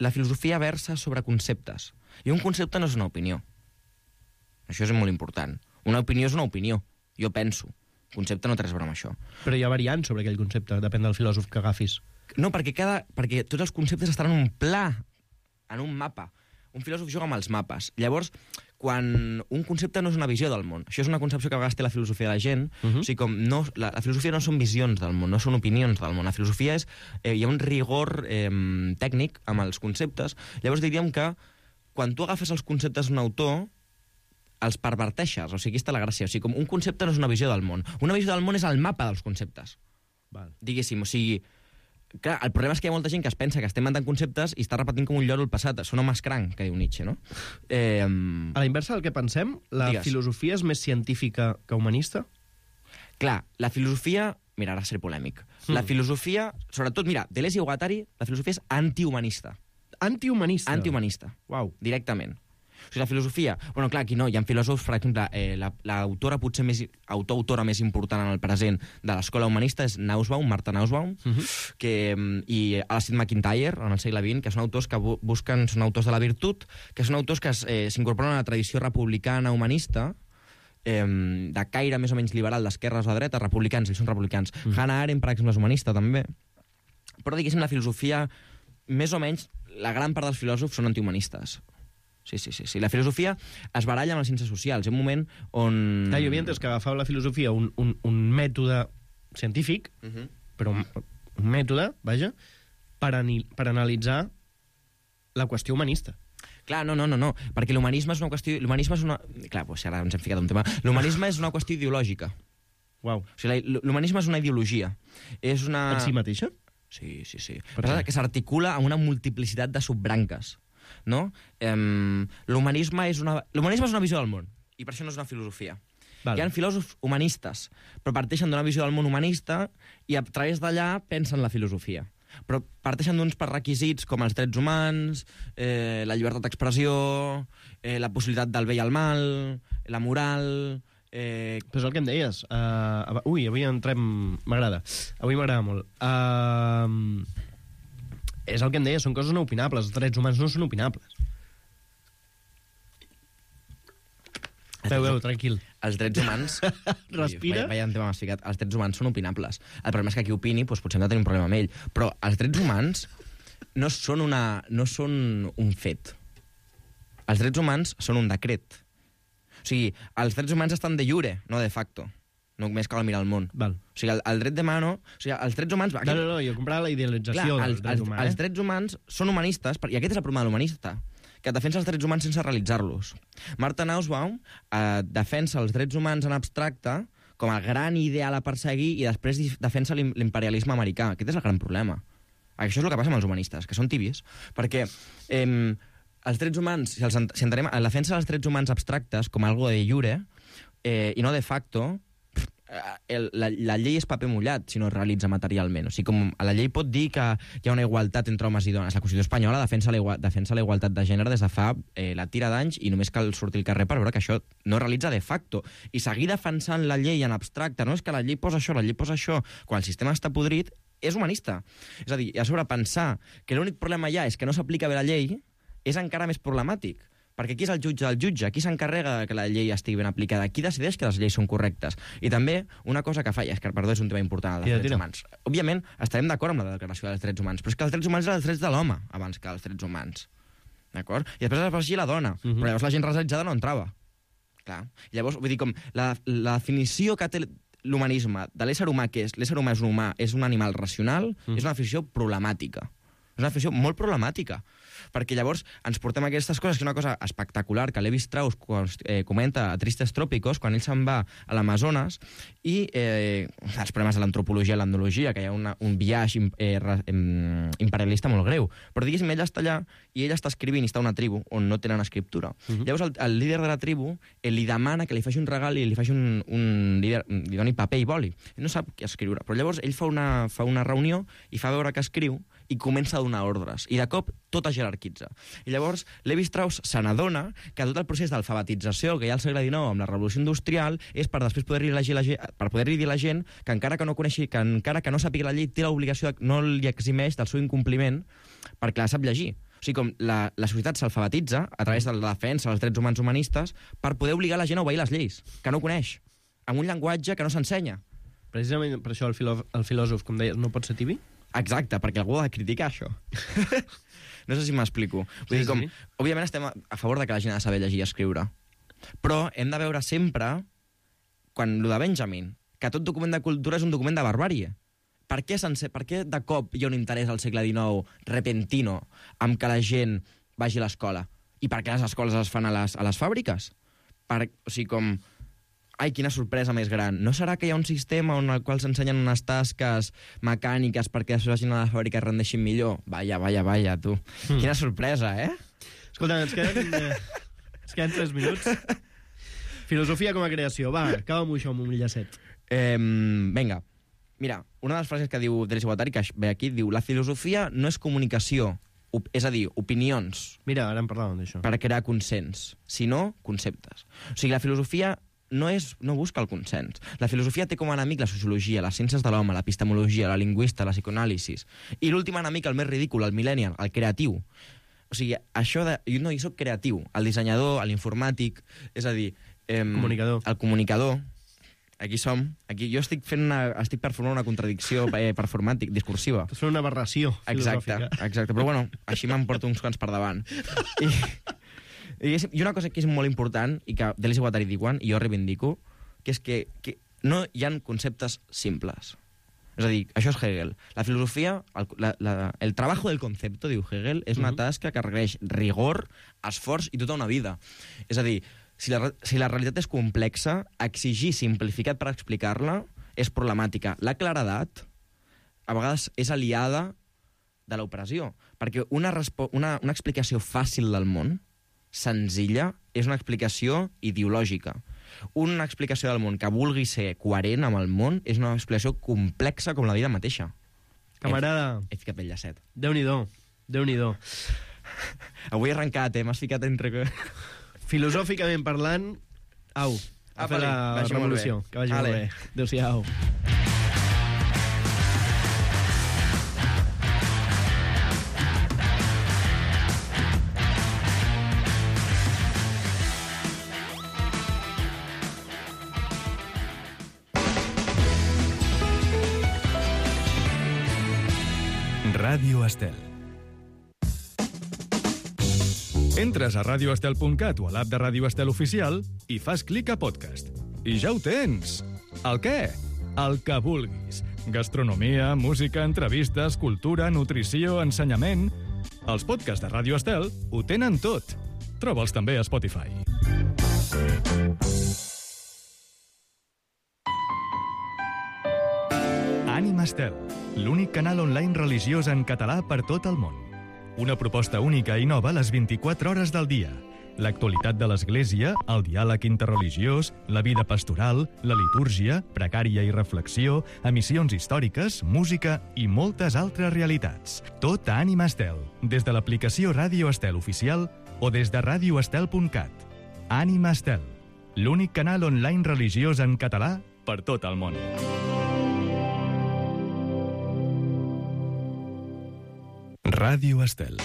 la filosofia versa sobre conceptes. I un concepte no és una opinió. Això és molt important. Una opinió és una opinió. Jo penso. Un concepte no té res a veure amb això. Però hi ha variants sobre aquell concepte, depèn del filòsof que agafis. No, perquè, cada, perquè tots els conceptes estan en un pla, en un mapa. Un filòsof juga amb els mapes. Llavors, quan un concepte no és una visió del món, això és una concepció que a vegades té la filosofia de la gent, uh-huh. o sigui, com no, la, la filosofia no són visions del món, no són opinions del món. La filosofia és... Eh, hi ha un rigor eh, tècnic amb els conceptes. Llavors diríem que quan tu agafes els conceptes d'un autor, els perverteixes. O sigui, aquí està la gràcia. O sigui, com un concepte no és una visió del món. Una visió del món és el mapa dels conceptes. Val. Diguéssim, o sigui... Clar, el problema és que hi ha molta gent que es pensa que estem inventant conceptes i està repetint com un lloro el passat. Són homes cranc, que diu Nietzsche, no? Eh, a la inversa del que pensem, la digues. filosofia és més científica que humanista? Clar, la filosofia... Mira, ara seré polèmic. Mm. La filosofia, sobretot, mira, Deleuze i Guattari, la filosofia és antihumanista. Antihumanista? Antihumanista. Uau. Directament. O sigui, la filosofia... Bueno, clar, aquí no, hi ha filòsofs, per exemple, eh, l'autora la, potser més... autor-autora més important en el present de l'escola humanista és Nussbaum, Martha Nussbaum, uh -huh. que, i Alasdair MacIntyre, en el segle vint, que són autors que bu busquen... Són autors de la virtut, que són autors que s'incorporen eh, a la tradició republicana humanista, eh, de caire més o menys liberal, d'esquerres a dreta, republicans, ells són republicans. Uh -huh. Hannah Arendt, per exemple, és humanista, també. Però, diguéssim, la filosofia, més o menys, la gran part dels filòsofs són antihumanistes. Sí, sí, sí, sí. La filosofia es baralla amb les ciències socials. Hi ha un moment on... Ah, jo havia entès que agafava la filosofia un, un, un mètode científic, uh -huh. però un, un mètode, vaja, per, ani, per analitzar la qüestió humanista. Clar, no, no, no, no, perquè l'humanisme és una qüestió... L'humanisme és una... Clar, doncs ara ens hem ficat un tema. L'humanisme és una qüestió ideològica. Uau. O sigui, l'humanisme és una ideologia. És una... En si mateixa? Sí, sí, sí. Però que s'articula amb una multiplicitat de subbranques. No? Um, l'humanisme és una l'humanisme és una visió del món i per això no és una filosofia. Vale. Hi ha filòsofs humanistes però parteixen d'una visió del món humanista i a través d'allà pensen la filosofia, però parteixen d'uns requisits com els drets humans, eh, la llibertat d'expressió, eh, la possibilitat del bé i el mal, la moral... Eh... Però és el que em deies. Uh, ui, avui entrem... M'agrada. Avui m'agrada molt. Uh... És el que em deia, són coses no opinables. Els drets humans no són opinables. Veu, veu, tranquil. Els drets humans... Respira. Veia un tema m'has ficat. Els drets humans són opinables. El problema és que qui opini, doncs, potser hem de tenir un problema amb ell. Però els drets humans no són, una, no són un fet. Els drets humans són un decret. O sigui, els drets humans estan de jure, no de facto. Només cal mirar el món. Val. O sigui, el, el dret de mano... O sigui, els drets humans... Aquí... No, no, no, jo comprava la idealització Clar, dels els, drets els, humans. Els drets humans són humanistes, i aquest és el problema de l'humanista, que defensa els drets humans sense realitzar-los. Martha Nussbaum eh, defensa els drets humans en abstracte com a gran ideal a perseguir i després defensa l'imperialisme americà. Aquest és el gran problema. Això és el que passa amb els humanistes, que són tibis, perquè... Eh, els drets humans, si, els, si entenem la defensa dels drets humans abstractes com algo de jure eh, i no de facto, el, la, la llei és paper mullat si no es realitza materialment. O sigui, com la llei pot dir que hi ha una igualtat entre homes i dones. La Constitució espanyola defensa la, igual, defensa la igualtat de gènere des de fa eh, la tira d'anys i només cal sortir al carrer per veure que això no es realitza de facto. I seguir defensant la llei en abstracte, no és que la llei posa això, la llei posa això, quan el sistema està podrit, és humanista. És a dir, a sobre pensar que l'únic problema ja és que no s'aplica bé la llei és encara més problemàtic. Perquè qui és el jutge del jutge? Qui s'encarrega que la llei estigui ben aplicada? Qui decideix que les lleis són correctes? I també, una cosa que falla, és que, perdó, és un tema important, els drets humans. Òbviament, estarem d'acord amb la declaració dels drets humans, però és que els drets humans eren els drets de l'home abans que els drets humans. D'acord? I després es va afegir la dona, uh -huh. però llavors la gent racialitzada no entrava. Clar. I llavors, vull dir, com la, la definició que té l'humanisme de l'ésser humà, que és l'ésser humà és un humà, és un animal racional, uh -huh. és una definició problemàtica. És una definició molt problemàtica. Perquè llavors ens portem aquestes coses, que és una cosa espectacular, que Levi Strauss eh, comenta a Tristes Trópicos, quan ell se'n va a l'Amazones, i eh, els problemes de l'antropologia i l'etnologia, que hi ha una, un viatge eh, eh, imperialista molt greu. Però diguéssim, ell està allà i ell està escrivint i està a una tribu on no tenen escriptura. Uh-huh. Llavors el, el líder de la tribu eh, li demana que li faci un regal i li faci un, un líder, li doni paper i boli. Ell no sap què escriure, però llavors ell fa una, fa una reunió i fa veure que escriu i comença a donar ordres. I de cop tot es jerarquitza. I llavors Levi Strauss se n'adona que tot el procés d'alfabetització que hi ha al segle dinou amb la revolució industrial és per després poder-li la gent, per poder-li dir a la gent que encara que no coneixi, que encara que no sàpiga la llei, té l'obligació, no li eximeix del seu incompliment perquè la sap llegir. O sigui, com la, la societat s'alfabetitza a través de la defensa dels drets humans humanistes per poder obligar la gent a obeir les lleis, que no coneix, amb un llenguatge que no s'ensenya. Precisament per això el, filò, el filòsof, com deies, no pot ser tibi? Exacte, perquè algú ha de criticar això. No sé si m'explico. Vull dir, com, sí. Òbviament estem a favor de que la gent ha de saber llegir i escriure, però hem de veure sempre, quan lo de Benjamin, que tot document de cultura és un document de barbàrie. Per què, sense, per què de cop hi ha un interès al segle dinou repentino amb que la gent vagi a l'escola? I per què les escoles es fan a les, a les fàbriques? Per, o sigui, com... Ai, quina sorpresa més gran. No serà que hi ha un sistema on el qual s'ensenyen unes tasques mecàniques perquè després vagin a la fàbrica i rendeixin millor? Vaya, vaya, vaya, tu. Mm. Quina sorpresa, eh? Escolta, ens queden, eh, ens queden tres minuts. Filosofia com a creació. Va, acaba-m'ho això amb un llacet. Eh, vinga. Mira, una de les frases que diu Deleuze i Guattari, que ve aquí, diu la filosofia no és comunicació, és a dir, opinions. Mira, ara en parlàvem d'això. Per crear consens, sinó conceptes. O sigui, la filosofia no, és, no busca el consens. La filosofia té com a enemic la sociologia, les ciències de l'home, l'epistemologia, la lingüista, la psicoanàlisi. I l'últim enemic, el més ridícul, el millennial, el creatiu. O sigui, això de... Jo no, jo soc creatiu. El dissenyador, l'informàtic, és a dir... Eh, comunicador. El comunicador. Aquí som. Aquí jo estic fent una, estic performant una contradicció eh, performàtic, discursiva. Estàs fent una aberració filosòfica. Exacte, exacte. Però bueno, així me'n porto uns quants per davant. I... I una cosa que és molt important, i que Deleuze i Guattari diuen, i jo reivindico, que és que, que no hi ha conceptes simples. És a dir, això és Hegel. La filosofia, el, la, la, el trabajo del concepto, diu Hegel, és una tasca que requereix rigor, esforç i tota una vida. És a dir, si la, si la realitat és complexa, exigir simplificat per explicar-la és problemàtica. La claredat, a vegades, és aliada de l'operació, perquè una, una, una explicació fàcil del món, senzilla, és una explicació ideològica. Una explicació del món que vulgui ser coherent amb el món és una explicació complexa com la vida mateixa. Camarada... He, he ficat el llacet. Déu-n'hi-do, Déu-n'hi-do. Avui he arrencat, eh? M'has ficat entre... Filosòficament parlant, au, a fer la revolució. Que vagi molt bé. Adéu-siau. Ràdio Estel. Entres a radio estel punt cat o a l'app de Ràdio Estel Oficial i fas clic a podcast. I ja ho tens! El què? El que vulguis. Gastronomia, música, entrevistes, cultura, nutrició, ensenyament... Els podcasts de Ràdio Estel ho tenen tot. Troba'ls també a Spotify. Ànima Estel, l'únic canal online religiós en català per tot el món. Una proposta única i nova a les vint-i-quatre hores del dia. L'actualitat de l'Església, el diàleg interreligiós, la vida pastoral, la litúrgia, precària i reflexió, emissions històriques, música i moltes altres realitats. Tot a Ànima Estel, des de l'aplicació Ràdio Estel Oficial o des de radio estel punt cat. Ànima Estel, l'únic canal online religiós en català per tot el món. Ràdio Estel.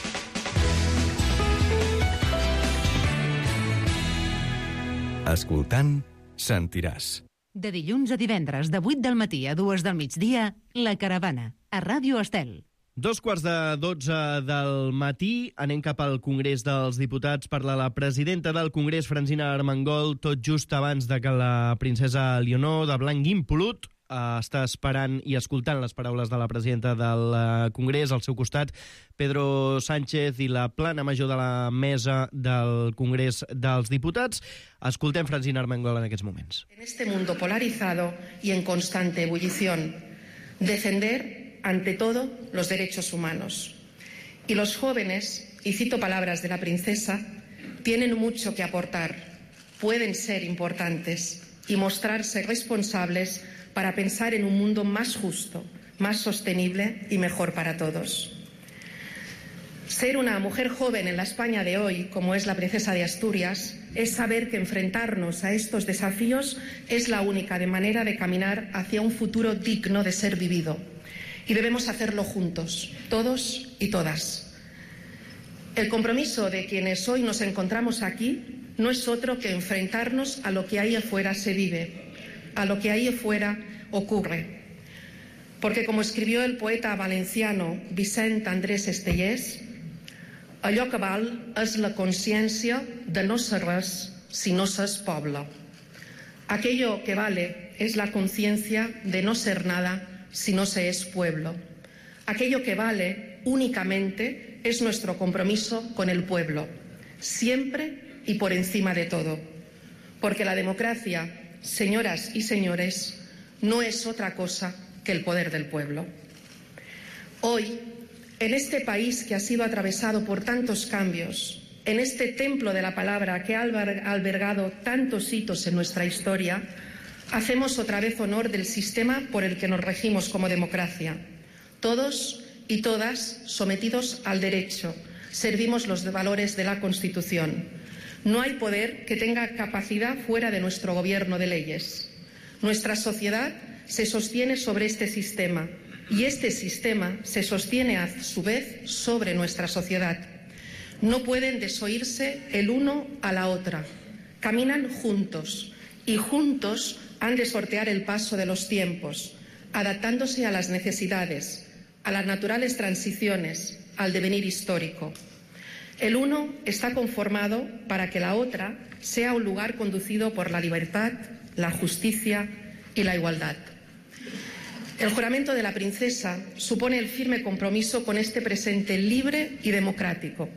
Escoltant, sentiràs. De dilluns a divendres, de vuit del matí a dues del migdia, La Caravana, a Ràdio Estel. Dos quarts de dotze del matí, anem cap al Congrés dels Diputats. Parla la presidenta del Congrés, Francina Armengol, tot just abans de que la princesa Leonor, de blanc impolut, està esperant i escoltant les paraules de la presidenta del Congrés. Al seu costat, Pedro Sánchez i la plana major de la mesa del Congrés dels Diputats. Escoltem Francina Armengol en aquests moments. En este mundo polarizado y en constante ebullición, defender ante todo los derechos humanos. Y los jóvenes, y cito palabras de la princesa, tienen mucho que aportar, pueden ser importantes y mostrarse responsables para pensar en un mundo más justo, más sostenible y mejor para todos. Ser una mujer joven en la España de hoy, como es la princesa de Asturias, es saber que enfrentarnos a estos desafíos es la única manera de caminar hacia un futuro digno de ser vivido. Y debemos hacerlo juntos, todos y todas. El compromiso de quienes hoy nos encontramos aquí no es otro que enfrentarnos a lo que ahí afuera se vive, a lo que ahí afuera ocurre. Porque, como escribió el poeta valenciano Vicent Andrés Estellés, allò que val és la consciència de no ser res si no s'és poble. Aquello que vale es la conciencia de no ser nada si no se es pueblo. Aquello que vale únicamente es nuestro compromiso con el pueblo, siempre y por encima de todo. Porque la democracia, señoras y señores, no es otra cosa que el poder del pueblo. Hoy, en este país que ha sido atravesado por tantos cambios, en este templo de la palabra que ha albergado tantos hitos en nuestra historia, hacemos otra vez honor del sistema por el que nos regimos como democracia. Todos y todas sometidos al derecho, servimos los valores de la Constitución. No hay poder que tenga capacidad fuera de nuestro gobierno de leyes. Nuestra sociedad se sostiene sobre este sistema y este sistema se sostiene a su vez sobre nuestra sociedad. No pueden desoírse el uno a la otra. Caminan juntos y juntos han de sortear el paso de los tiempos, adaptándose a las necesidades, a las naturales transiciones, al devenir histórico. El uno está conformado para que la otra sea un lugar conducido por la libertad, la justicia y la igualdad. El juramento de la princesa supone el firme compromiso con este presente libre y democrático,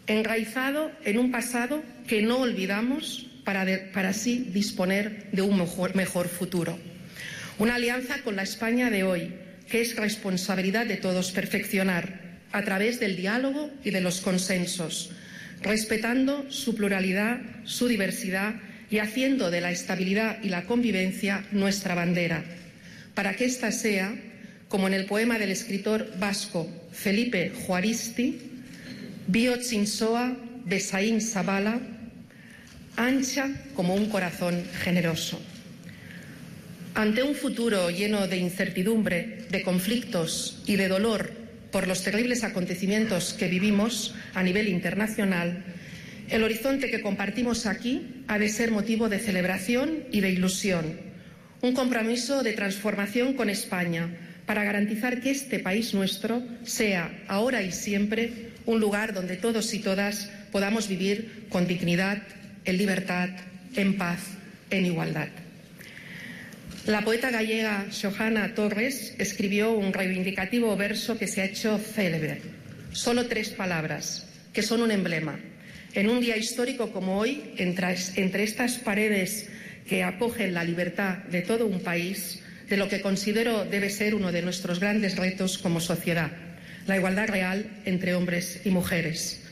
enraizado en un pasado que no olvidamos para, de, para así disponer de un mejor, mejor futuro. Una alianza con la España de hoy, que es responsabilidad de todos perfeccionar a través del diálogo y de los consensos, respetando su pluralidad, su diversidad y haciendo de la estabilidad y la convivencia nuestra bandera, para que ésta sea, como en el poema del escritor vasco Felipe Juaristi, Biotzinsoa Besaín Zabala, ancha como un corazón generoso. Ante un futuro lleno de incertidumbre, de conflictos y de dolor por los terribles acontecimientos que vivimos a nivel internacional, el horizonte que compartimos aquí ha de ser motivo de celebración y de ilusión, un compromiso de transformación con España para garantizar que este país nuestro sea, ahora y siempre, un lugar donde todos y todas podamos vivir con dignidad, en libertad, en paz, en igualdad. La poeta gallega Xohana Torres escribió un reivindicativo verso que se ha hecho célebre. Solo tres palabras, que son un emblema. En un día histórico como hoy, entre, entre estas paredes que acogen la libertad de todo un país, de lo que considero debe ser uno de nuestros grandes retos como sociedad, la igualdad real entre hombres y mujeres.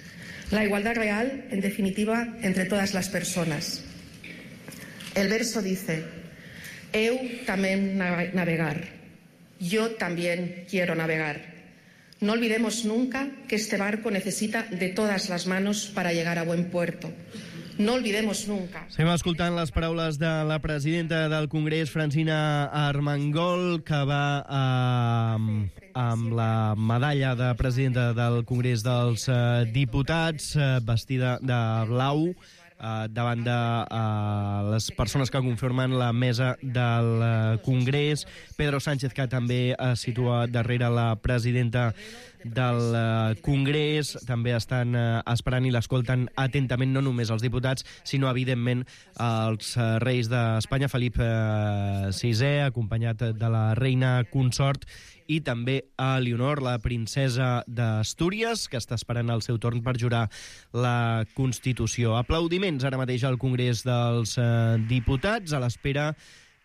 La igualdad real, en definitiva, entre todas las personas. El verso dice: Eu tamén navegar. Yo también quiero navegar. No olvidemos nunca que este barco necesita de todas las manos para llegar a buen puerto. No olvidemos nunca. Estem escoltant les paraules de la presidenta del Congrés, Francina Armengol, que va eh, amb la medalla de presidenta del Congrés dels eh, Diputats, eh, vestida de blau, eh, davant de eh, les persones que conformen la mesa del eh, Congrés. Pedro Sánchez, que també es situa darrere la presidenta del eh, Congrés, també estan eh, esperant i l'escolten atentament no només els diputats, sinó evidentment els eh, reis d'Espanya, Felip eh, sisè, acompanyat de la reina consort, i també a Leonor, la princesa d'Astúries, que està esperant el seu torn per jurar la Constitució. Aplaudiments ara mateix al Congrés dels eh, Diputats, a l'espera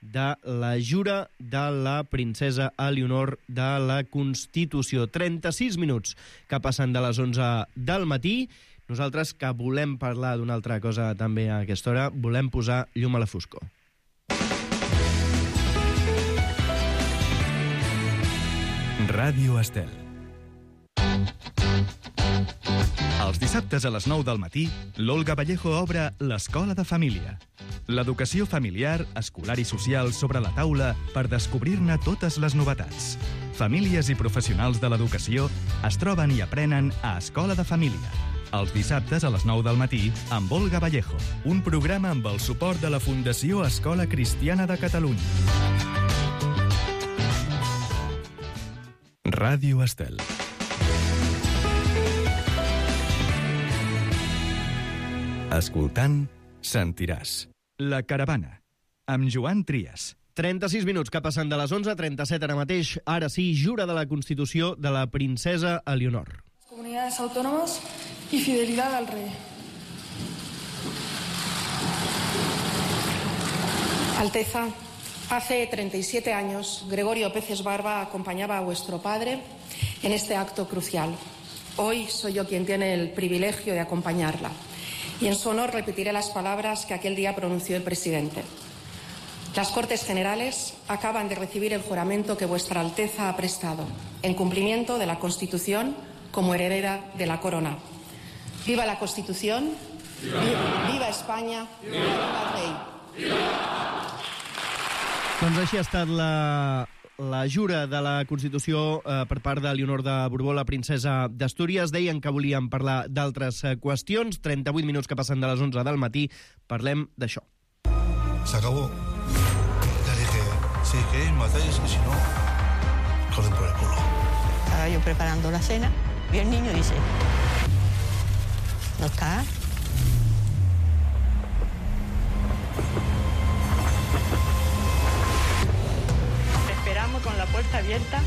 de la jura de la princesa Eleonor de la Constitució. trenta-sis minuts que passen de les onze del matí. Nosaltres, que volem parlar d'una altra cosa també a aquesta hora, volem posar llum a la foscor. Ràdio Estel. Els dissabtes a les nou del matí, l'Olga Vallejo obre l'Escola de Família. L'educació familiar, escolar i social sobre la taula per descobrir-ne totes les novetats. Famílies i professionals de l'educació es troben i aprenen a Escola de Família. Els dissabtes a les nou del matí, amb Olga Vallejo. Un programa amb el suport de la Fundació Escola Cristiana de Catalunya. Ràdio Estel. Escoltant, sentiràs. La Caravana, amb Joan Trias. trenta-sis minuts que passen de les onze, trenta-set ara mateix. Ara sí, jura de la Constitució de la princesa Eleonor. Comunidades autónomas y fidelidad al rey. Alteza, hace treinta y siete años, Gregorio Peces Barba acompañaba a vuestro padre en este acto crucial. Hoy soy yo quien tiene el privilegio de acompañarla. Y en su honor repetiré las palabras que aquel día pronunció el presidente. Las Cortes Generales acaban de recibir el juramento que vuestra Alteza ha prestado, en cumplimiento de la Constitución como heredera de la corona. ¡Viva la Constitución! ¡Viva, viva España! ¡Viva el rey! Doncs així ha estat la, la jura de la Constitució eh, per part de Leonor de Borbó, la princesa d'Astúries. Deien que volíem parlar d'altres eh, qüestions. trenta-vuit minuts que passen de les onze del matí. Parlem d'això. S'acabó. Ya dije, si queréis matáis y si no, joden por el culo. Estaba yo preparando la cena y el niño dice, ¿no está? Con la puerta abierta,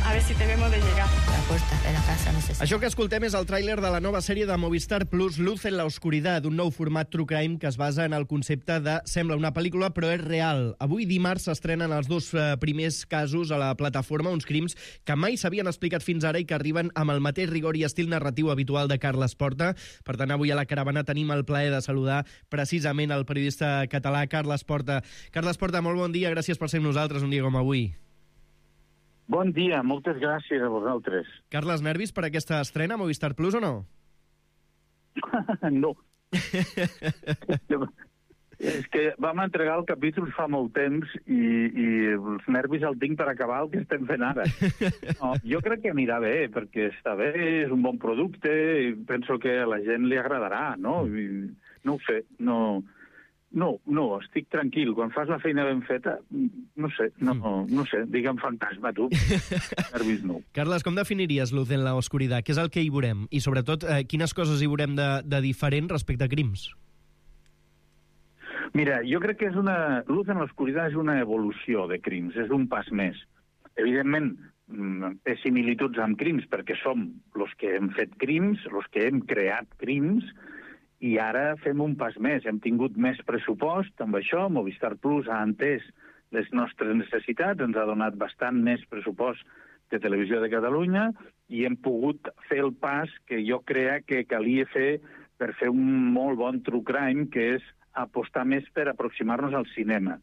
a ver si tenemos de llegar. La puerta de la casa no se sabe. Això que escoltem és el tràiler de la nova sèrie de Movistar Plus, Luz en la Oscuridad, un nou format true crime que es basa en el concepte de sembla una pel·lícula però és real. Avui dimarts s'estrenen els dos eh, primers casos a la plataforma, uns crims que mai s'havien explicat fins ara i que arriben amb el mateix rigor i estil narratiu habitual de Carles Porta. Per tant, avui a la Caravana tenim el plaer de saludar precisament el periodista català Carles Porta. Carles Porta, molt bon dia, gràcies per ser amb nosaltres un dia com avui. Bon dia, moltes gràcies a vosaltres. Carles, nervis per aquesta estrena a Movistar Plus o no? No. És que vam entregar el capítol fa molt temps i, i els nervis el tinc per acabar el que estem fent ara. No, jo crec que anirà bé, perquè està bé, és un bon producte, i penso que a la gent li agradarà, no? I no ho sé, no... No, no, estic tranquil. Quan fas la feina ben feta, no sé, no, no sé, digue'm fantasma, tu. Nervis no. Carles, com definiries Luz en la Oscuridad? Què és el que hi veurem? I, sobretot, eh, quines coses hi veurem de, de diferent respecte a crims? Mira, jo crec que és una... Luz en la Oscuridad és una evolució de crims, és un pas més. Evidentment, té similituds amb crims, perquè som els que hem fet crims, els que hem creat crims, i ara fem un pas més. Hem tingut més pressupost amb això. Movistar Plus ha entès les nostres necessitats, ens ha donat bastant més pressupost de Televisió de Catalunya i hem pogut fer el pas que jo creia que calia fer per fer un molt bon true crime, que és apostar més per aproximar-nos al cinema.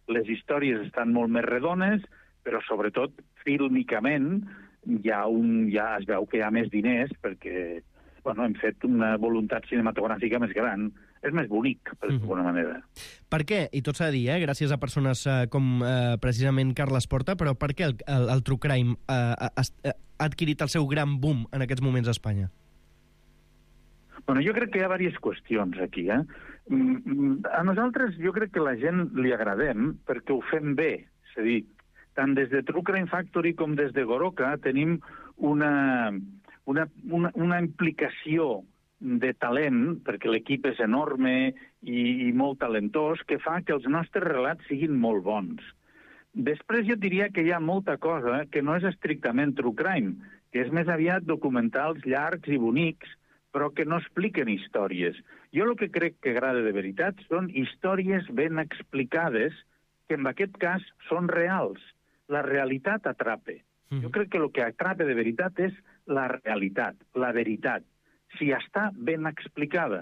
Les històries estan molt més redones, però sobretot fílmicament hi ha un, ja es veu que hi ha més diners perquè bueno, hem fet una voluntat cinematogràfica més gran. És més bonic, per mm-hmm. d'alguna manera. Per què? I tot s'ha de dir, eh? gràcies a persones eh, com eh, precisament Carles Porta, però per què el, el, el true crime eh, ha, ha adquirit el seu gran boom en aquests moments a Espanya? Bueno, jo crec que hi ha diverses qüestions aquí. Eh? A nosaltres jo crec que la gent li agradem perquè ho fem bé. És a dir, tant des de True Crime Factory com des de Goroka tenim una, una, una, una implicació de talent, perquè l'equip és enorme i, i molt talentós, que fa que els nostres relats siguin molt bons. Després jo diria que hi ha molta cosa que no és estrictament true crime, que és més aviat documentals llargs i bonics, però que no expliquen històries. Jo el que crec que agrada de veritat són històries ben explicades, que en aquest cas són reals. La realitat atrapa. Jo crec que el que atrapa de veritat és la realitat, la veritat. Si està ben explicada.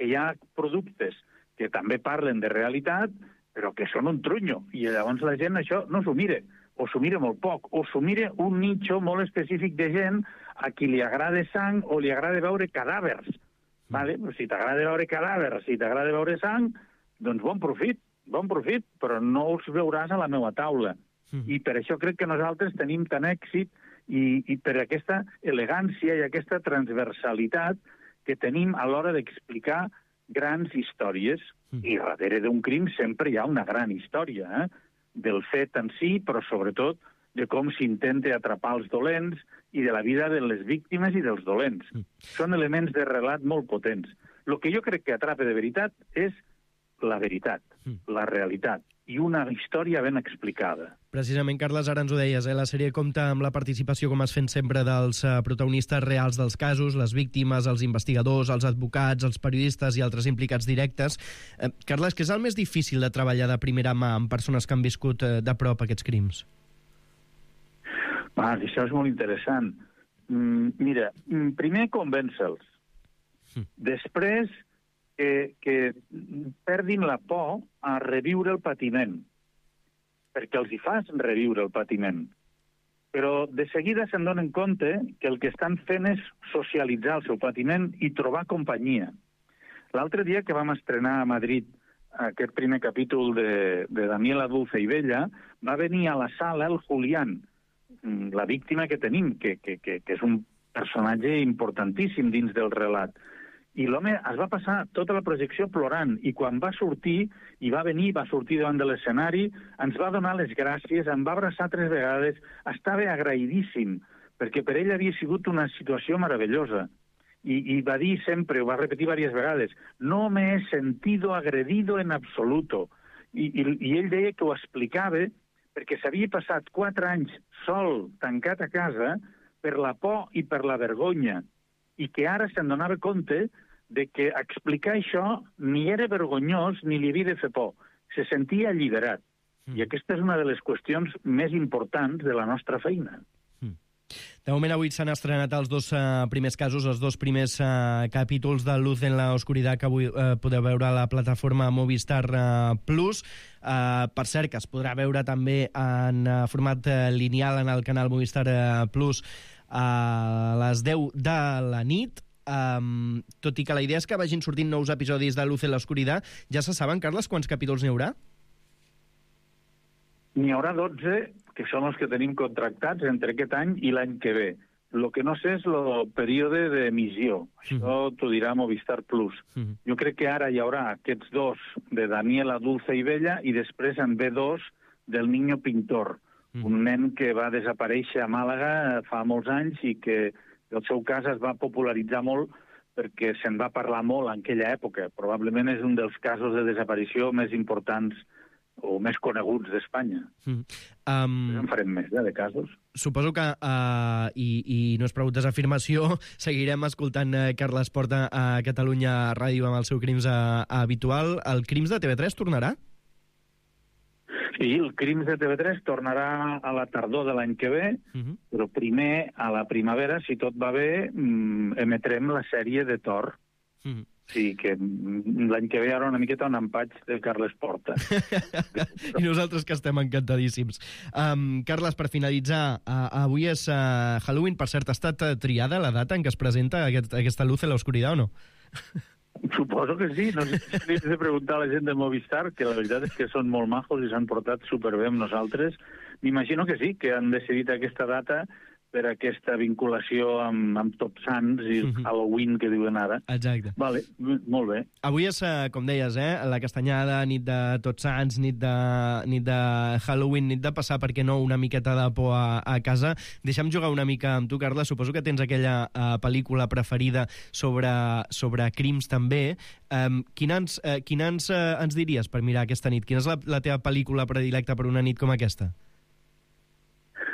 Hi ha productes que també parlen de realitat, però que són un trunyo, i llavors la gent això no s'ho mira, o s'ho mira molt poc, o s'ho mira un nicho molt específic de gent a qui li agrada sang o li agrada veure cadàvers. Vale? Si t'agrada veure cadàvers, si t'agrada veure sang, doncs bon profit, bon profit, però no els veuràs a la meva taula. I per això crec que nosaltres tenim tant èxit i, i per aquesta elegància i aquesta transversalitat que tenim a l'hora d'explicar grans històries. I darrere d'un crim sempre hi ha una gran història, eh? Del fet en si, però sobretot de com s'intenta atrapar els dolents i de la vida de les víctimes i dels dolents. Són elements de relat molt potents. El que jo crec que atrapa de veritat és la veritat, la realitat, i una història ben explicada. Precisament, Carles, ara ens ho deies, eh? La sèrie compta amb la participació, com es fent sempre, dels uh, protagonistes reals dels casos, les víctimes, els investigadors, els advocats, els periodistes i altres implicats directes. Eh, Carles, què és el més difícil de treballar de primera mà amb persones que han viscut uh, de prop aquests crims? Ah, això és molt interessant. Mm, mira, primer convèncer-los. Mm. Després que, que perdin la por a reviure el patiment, perquè els hi fas reviure el patiment. Però de seguida se'n donen compte que el que estan fent és socialitzar el seu patiment i trobar companyia. L'altre dia que vam estrenar a Madrid aquest primer capítol de, de Daniela Dulce i Bella, va venir a la sala el Julián, la víctima que tenim, que, que, que, que és un personatge importantíssim dins del relat. I l'home es va passar tota la projecció plorant, i quan va sortir, i va venir, va sortir davant de l'escenari, ens va donar les gràcies, em va abraçar tres vegades, estava agraïdíssim, perquè per ell havia sigut una situació meravellosa. I, i va dir sempre, ho va repetir diverses vegades, no me he sentido agredido en absoluto. I, i, i ell deia que ho explicava perquè s'havia passat quatre anys sol, tancat a casa, per la por i per la vergonya, i que ara se'n donava compte de que explicar això ni era vergonyós ni li havia de fer por. Se sentia alliberat. Mm. I aquesta és una de les qüestions més importants de la nostra feina. Mm. De moment avui s'han estrenat els dos uh, primers casos, els dos primers uh, capítols de Luz en la Oscuridad que avui uh, podeu veure a la plataforma Movistar uh, Plus. Uh, per cert, que es podrà veure també en uh, format uh, lineal en el canal Movistar uh, Plus a les deu de la nit. Um, tot i que la idea és que vagin sortint nous episodis de Luz en la Oscuridad, ja se saben, Carles, quants capítols n'hi haurà? N'hi haurà dotze, que són els que tenim contractats entre aquest any i l'any que ve. El que no sé és el període d'emissió. Això mm. t'ho dirà Movistar Plus. Mm. Jo crec que ara hi haurà aquests dos de Daniela Dulce i Bella i després en ve dos del Niño Pintor, mm. un nen que va desaparèixer a Màlaga fa molts anys i que el seu cas es va popularitzar molt perquè se'n va parlar molt en aquella època. Probablement és un dels casos de desaparició més importants o més coneguts d'Espanya. Mm. Um... En farem més, eh, de casos. Suposo que, uh, i, i no és prou desafirmació, seguirem escoltant uh, Carles Porta a Catalunya Ràdio amb el seu Crims uh, habitual. El Crims de T V tres tornarà? Sí, el Crims de T V tres tornarà a la tardor de l'any que ve, uh-huh. però primer, a la primavera, si tot va bé, emetrem la sèrie de Thor. Uh-huh. Sí, que l'any que ve hi haurà una miqueta un empatx de Carles Porta. I nosaltres que estem encantadíssims. Um, Carles, per finalitzar, uh, avui és uh, Halloween. Per cert, ha estat uh, triada la data en què es presenta aquest, aquesta luz en l'oscuridad o no? Suposo que sí. No sé si li he de preguntar a la gent de Movistar, que la veritat és que són molt majos i s'han portat superbé amb nosaltres. M'imagino que sí, que han decidit aquesta data per aquesta vinculació amb, amb Tots Sants i uh-huh. Halloween, que diuen ara. Exacte. Vale, molt bé. Avui és, com deies, eh, la castanyada, nit de Tots Sants, nit de, nit de Halloween, nit de passar, per què no, una miqueta de por a, a casa. Deixa'm jugar una mica amb tu, Carla. Suposo que tens aquella uh, pel·lícula preferida sobre, sobre crims, també. Um, quina ens, uh, quina ens, uh, ens diries per mirar aquesta nit? Quina és la, la teva pel·lícula predilecta per una nit com aquesta?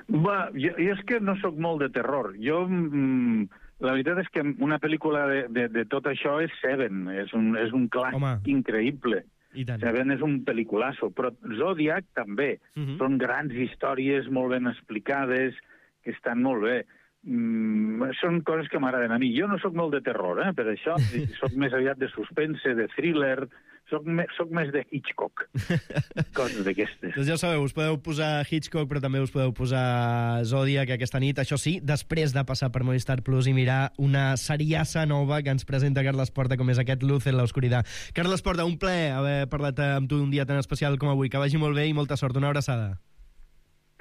Va, jo, jo és que no sóc molt de terror. Jo, mm, la veritat és que una pel·lícula de, de, de tot això és Seven. És un, és un clàssic Home. increïble. Seven és un pel·liculasso, però Zodiac també. Uh-huh. Són grans històries molt ben explicades, que estan molt bé. Mm, són coses que m'agraden a mi. Jo no sóc molt de terror, eh, per això. Soc més aviat de suspense, de thriller. Soc, me, soc més de Hitchcock. Coses d'aquestes. Doncs ja sabeu, us podeu posar Hitchcock, però també us podeu posar Zodiac aquesta nit. Això sí, després de passar per Movistar Plus i mirar una seriassa nova que ens presenta Carles Porta, com és aquest Luz en l'oscuridad. Carles Porta, un plaer haver parlat amb tu un dia tan especial com avui. Que vagi molt bé i molta sort. Una abraçada.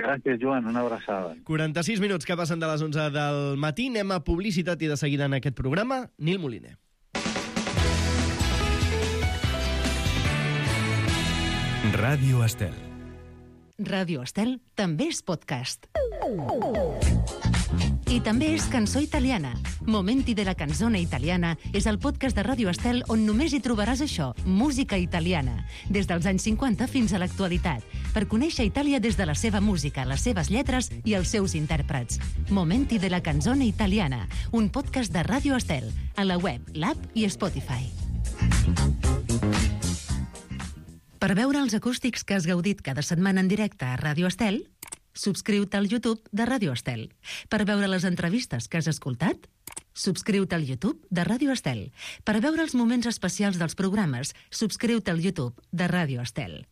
Gràcies, Joan, una abraçada. quaranta-sis minuts que passen de les onze del matí. Anem a publicitat i de seguida en aquest programa, Nil Moliner. Ràdio Estel. Ràdio Estel també és podcast. I també és cançó italiana. Momenti de la canzone italiana és el podcast de Ràdio Estel on només hi trobaràs això, música italiana, des dels anys cinquanta fins a l'actualitat, per conèixer Itàlia des de la seva música, les seves lletres i els seus intèrprets. Momenti de la canzone italiana, un podcast de Ràdio Estel, a la web, l'app i Spotify. Per veure els acústics que has gaudit cada setmana en directe a Ràdio Estel, subscriu-te al YouTube de Ràdio Estel. Per veure les entrevistes que has escoltat, subscriu-te al YouTube de Ràdio Estel. Per veure els moments especials dels programes, subscriu-te al YouTube de Ràdio Estel.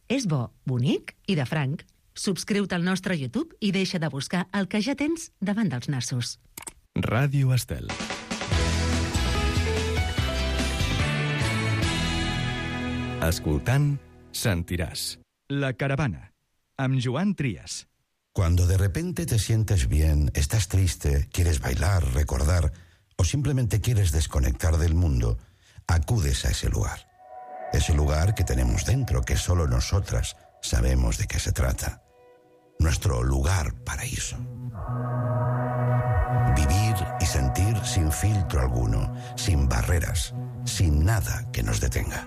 És bo, bonic i de franc. Subscriu-te al nostre YouTube i deixa de buscar el que ja tens davant dels nassos. Ràdio Estel. Escoltant, sentiràs La Caravana, amb Joan Trias. Cuando de repente te sientes bien, estás triste, quieres bailar, recordar o simplemente quieres desconectar del mundo, acudes a ese lugar. Ese lugar que tenemos dentro, que solo nosotras sabemos de qué se trata. Nuestro lugar paraíso. Vivir y sentir sin filtro alguno, sin barreras, sin nada que nos detenga.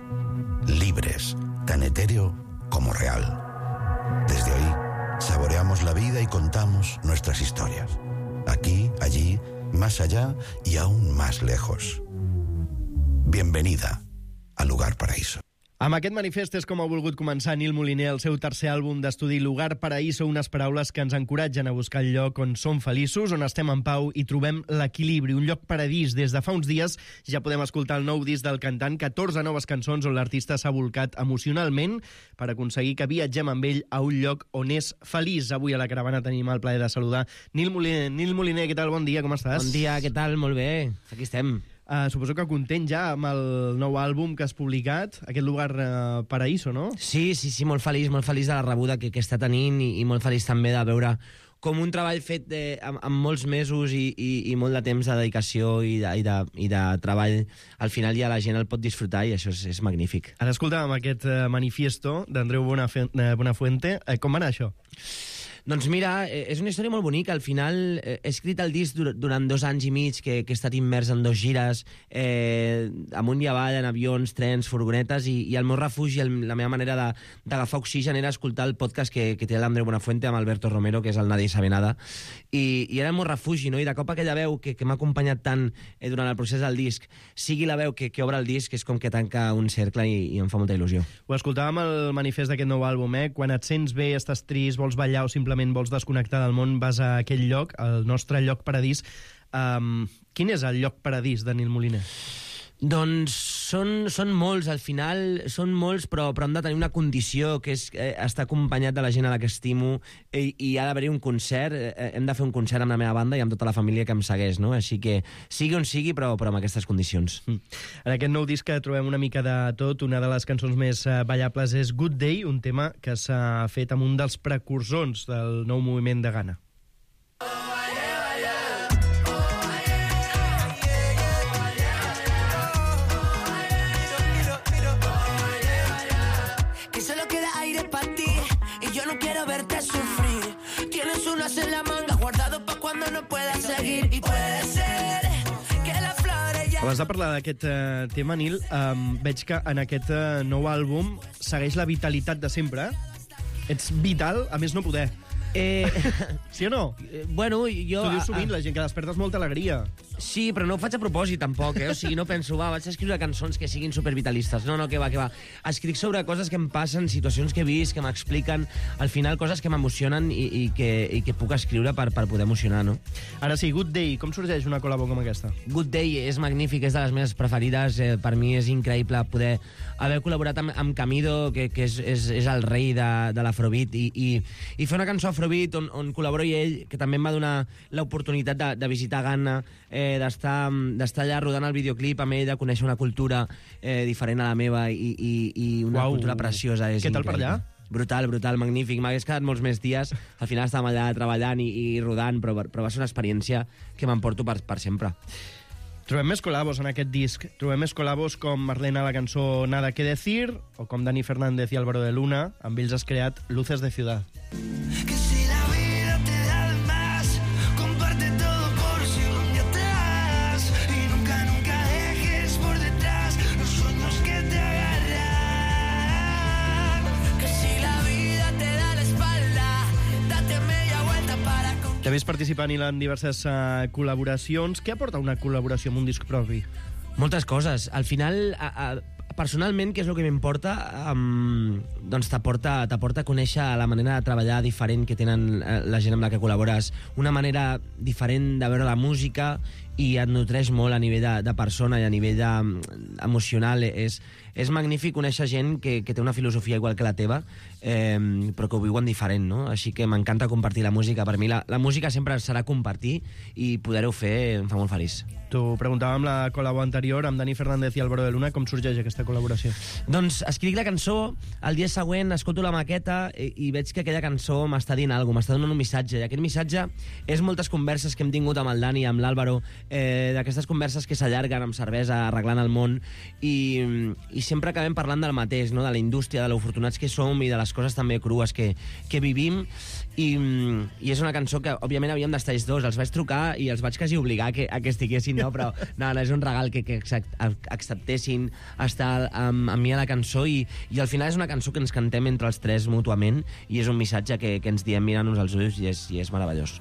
Libres, tan etéreo como real. Desde ahí, saboreamos la vida y contamos nuestras historias. Aquí, allí, más allá y aún más lejos. Bienvenida al Lugar Paraíso. Amb aquest manifest és com ha volgut començar Nil Moliner el seu tercer àlbum d'estudi Lugar Paraíso, unes paraules que ens encoratgen a buscar el lloc on som feliços, on estem en pau i trobem l'equilibri, un lloc paradís. Des de fa uns dies ja podem escoltar el nou disc del cantant, catorze noves cançons on l'artista s'ha volcat emocionalment per aconseguir que viatgem amb ell a un lloc on és feliç. Avui a la caravana tenim el plaer de saludar Nil Moliner. Nil Moliner, què tal? Bon dia, com estàs? Bon dia, què tal? Molt bé, aquí estem. Uh, suposo que content ja amb el nou àlbum que has publicat, aquest Lugar uh, Paraíso, no? Sí, sí, sí, molt feliç, molt feliç de la rebuda que, que està tenint i, i molt feliç també de veure com un treball fet de, amb, amb molts mesos i, i, i molt de temps de dedicació i de, i, de, i de treball, al final ja la gent el pot disfrutar i això és, és magnífic. Ara escoltàvem aquest uh, manifiesto d'Andreu Bonafuente. Uh, Bonafuente. Uh, com va anar això? Doncs mira, és una història molt bonica. Al final he escrit el disc durant dos anys i mig, que, que he estat immers en dos gires, eh, amunt i avall, en avions, trens, furgonetes, i, i el meu refugi, el, la meva manera d'agafar oxigen era escoltar el podcast que, que té l'Andreu Buenafuente amb Alberto Romero, que és el Nadie sabe nada, i, i era el meu refugi, no? I de cop aquella veu que, que m'ha acompanyat tant eh, durant el procés del disc, sigui la veu que, que obre el disc, és com que tanca un cercle i, i em fa molta il·lusió. Ho escoltàvem al manifest d'aquest nou àlbum, eh? Quan et sents bé, estàs trist, vols ballar o simplement vols desconnectar del món, vas a aquell lloc, el nostre lloc paradís. Um, quin és el lloc paradís de Nil Moliner? Doncs són, són molts, al final són molts, però, però hem de tenir una condició, que és eh, estar acompanyat de la gent a la que estimo, i, i ha d'haver-hi un concert, eh, hem de fer un concert amb la meva banda i amb tota la família que em segueix, no? Així que sigui on sigui, però, però amb aquestes condicions. Mm. En aquest nou disc trobem una mica de tot. Una de les cançons més eh, ballables és Good Day, un tema que s'ha fet amb un dels precursors del nou moviment de Ghana. En la manga, guardado pa' cuando no puedas seguir. Y puede ser que la flor ya... Abans de parlar d'aquest uh, tema, Nil, um, veig que en aquest uh, nou àlbum segueix la vitalitat de sempre. Ets vital, a més no poder. Eh... Sí o no? Eh, bueno, jo... T'ho dius sovint, la gent, que despertes molta alegria. Sí, però no ho faig a propòsit, tampoc, eh? O sigui, no penso, va, vaig a escriure cançons que siguin supervitalistes. No, no, que va, que va. Escric sobre coses que em passen, situacions que he vist, que m'expliquen, al final coses que m'emocionen i, i, que, i que puc escriure per, per poder emocionar, no? Ara sí, Good Day, com sorgeix una col·labo com aquesta? Good Day és magnífic, és de les meves preferides, eh, per mi és increïble poder haver col·laborat amb, amb Camido, que, que és, és, és el rei de, de l'Afrobeat, i, i, i fer una cançó Afrobeat on, on col·laboro i ell, que també em va donar l'oportunitat de, de visitar Ghana, eh, d'estar d'estar allà rodant el videoclip amb ell, de conèixer una cultura eh, diferent a la meva i, i, i una Uau. cultura preciosa. És Què tal per allà? Brutal, brutal, magnífic. M'hagués quedat molts més dies. Al final estàvem allà treballant i, i rodant, però, però va ser una experiència que m'emporto per, per sempre. Trobem més col·labos en aquest disc. Trobem més col·labos com Marlena a la cançó Nada que decir, o com Dani Fernández i Álvaro de Luna. Amb ells has creat Luces de Ciudad. Que si la vida te da de más, comparte todo por si un día te vas. Y nunca, nunca dejes por detrás los sueños que te agarran. Que si la vida te da la espalda, date media vuelta para... També has participat en diverses uh, col·laboracions. Què aporta una col·laboració amb un disc propi? Moltes coses. Al final, a, a, personalment, què és el que m'importa? Um, doncs t'aporta t'aporta a conèixer la manera de treballar diferent que tenen la gent amb la que col·labores, una manera diferent de veure la música, i et nutreix molt a nivell de, de persona i a nivell de, emocional. És, és magnífic conèixer gent que, que té una filosofia igual que la teva, eh, però que ho viuen diferent, no? Així que m'encanta compartir la música. Per mi la, la música sempre serà compartir, i poder-ho fer em fa molt feliç. T'ho preguntàvem la col·labo anterior amb Dani Fernández i Álvaro de Luna, com sorgeix aquesta col·laboració? Doncs escric la cançó, el dia següent escolto la maqueta i, i veig que aquella cançó m'està dient alguna cosa, m'està donant un missatge, i aquest missatge és moltes converses que hem tingut amb el Dani i amb l'Àlvaro, eh, d'aquestes converses que s'allarguen amb cervesa, arreglant el món, i, i sempre acabem parlant del mateix, no? De la indústria, de l'afortunats que som i de les coses també crues que, que vivim, i, i és una cançó que òbviament havíem d'estar ells dos. Els vaig trucar i els vaig quasi obligar que, a que estiguessin, no? Però no, no, és un regal que, que acceptessin estar amb, amb mi a la cançó, i, i al final és una cançó que ens cantem entre els tres mútuament, i és un missatge que, que ens diem mirant-nos als ulls, i és, i és meravellós.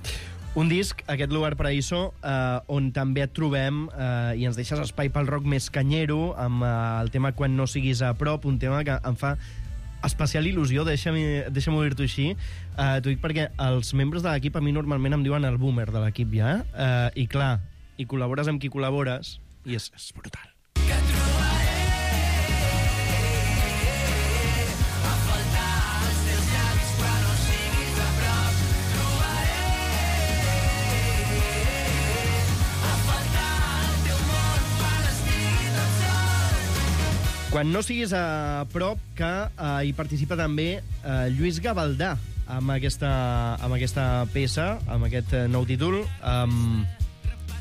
Un disc, aquest Lugar Paraíso, eh, on també et trobem eh, i ens deixes espai pel rock més canyero, amb eh, el tema Quan no siguis a prop, un tema que em fa especial il·lusió, deixa'm, deixa'm dir-t'ho així. Eh, T'ho dic perquè els membres de l'equip a mi normalment em diuen el boomer de l'equip ja, eh, i clar, i col·labores amb qui col·labores, i és, és brutal. Quan no siguis a prop, que eh, hi participa també eh, Lluís Gavaldà amb aquesta, amb aquesta peça, amb aquest eh, nou títol. Um,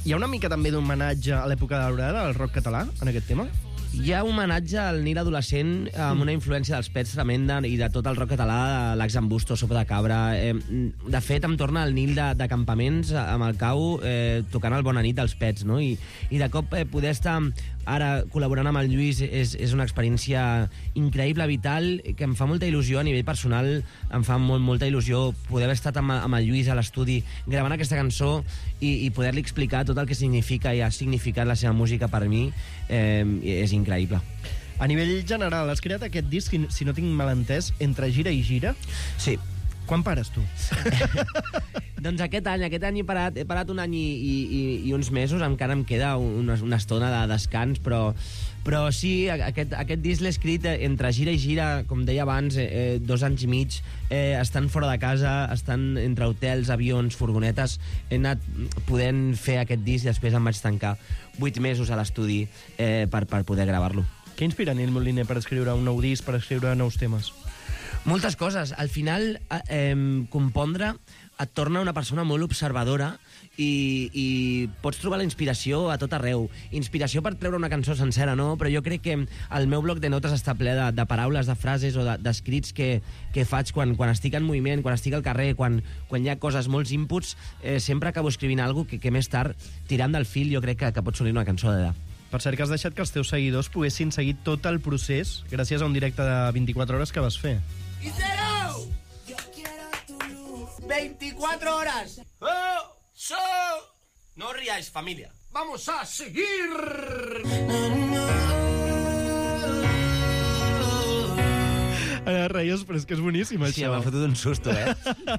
hi ha una mica també d'homenatge a l'època daurada del rock català en aquest tema? Hi ha un homenatge al Nil adolescent amb una influència dels Pets tremenda i de tot el rock català, l'Ax en Busto, Sopa de Cabra. Eh, de fet, em torna el Nil de, de campaments amb el Cau eh, tocant el Bona nit dels Pets, no? I, i de cop eh, poder estar ara col·laborant amb el Lluís és, és una experiència increïble, vital, que em fa molta il·lusió a nivell personal, em fa molt, molta il·lusió poder haver estat amb, amb el Lluís a l'estudi gravant aquesta cançó i, i poder-li explicar tot el que significa i ha significat la seva música per mi. Eh, és increïble. A nivell general, has creat aquest disc, si no tinc mal entès, entre gira i gira? Sí. Quan pares, tu? Doncs aquest any, aquest any he parat, he parat un any i, i, i uns mesos, encara em queda una, una estona de descans, però, però sí, aquest, aquest disc l'he escrit entre gira i gira, com deia abans, eh, dos anys i mig, eh, estan fora de casa, estan entre hotels, avions, furgonetes, he anat podent fer aquest disc i després em vaig tancar vuit mesos a l'estudi eh, per, per poder gravar-lo. Què inspira Nil Moliner per escriure un nou disc, per escriure nous temes? Moltes coses. Al final, eh, compondre et torna una persona molt observadora i, i pots trobar la inspiració a tot arreu. Inspiració per treure una cançó sencera, no? Però jo crec que el meu bloc de notes està ple de, de paraules, de frases o d'escrits de, que, que faig quan, quan estic en moviment, quan estic al carrer, quan, quan hi ha coses, molts inputs, eh, sempre acabo escrivint alguna cosa que, que més tard, tirant del fil, jo crec que, que pot sortir una cançó d'allà. Per cert, que has deixat que els teus seguidors poguessin seguir tot el procés gràcies a un directe de vint-i-quatre hores que vas fer. ¡Isero! Yo quiero tu luz. veinticuatro horas. ¡Oh! ¡So! No os riáis, familia. ¡Vamos a seguir! Ara reies, però és que és boníssim, això. Sí, m'ha fotut un susto, eh?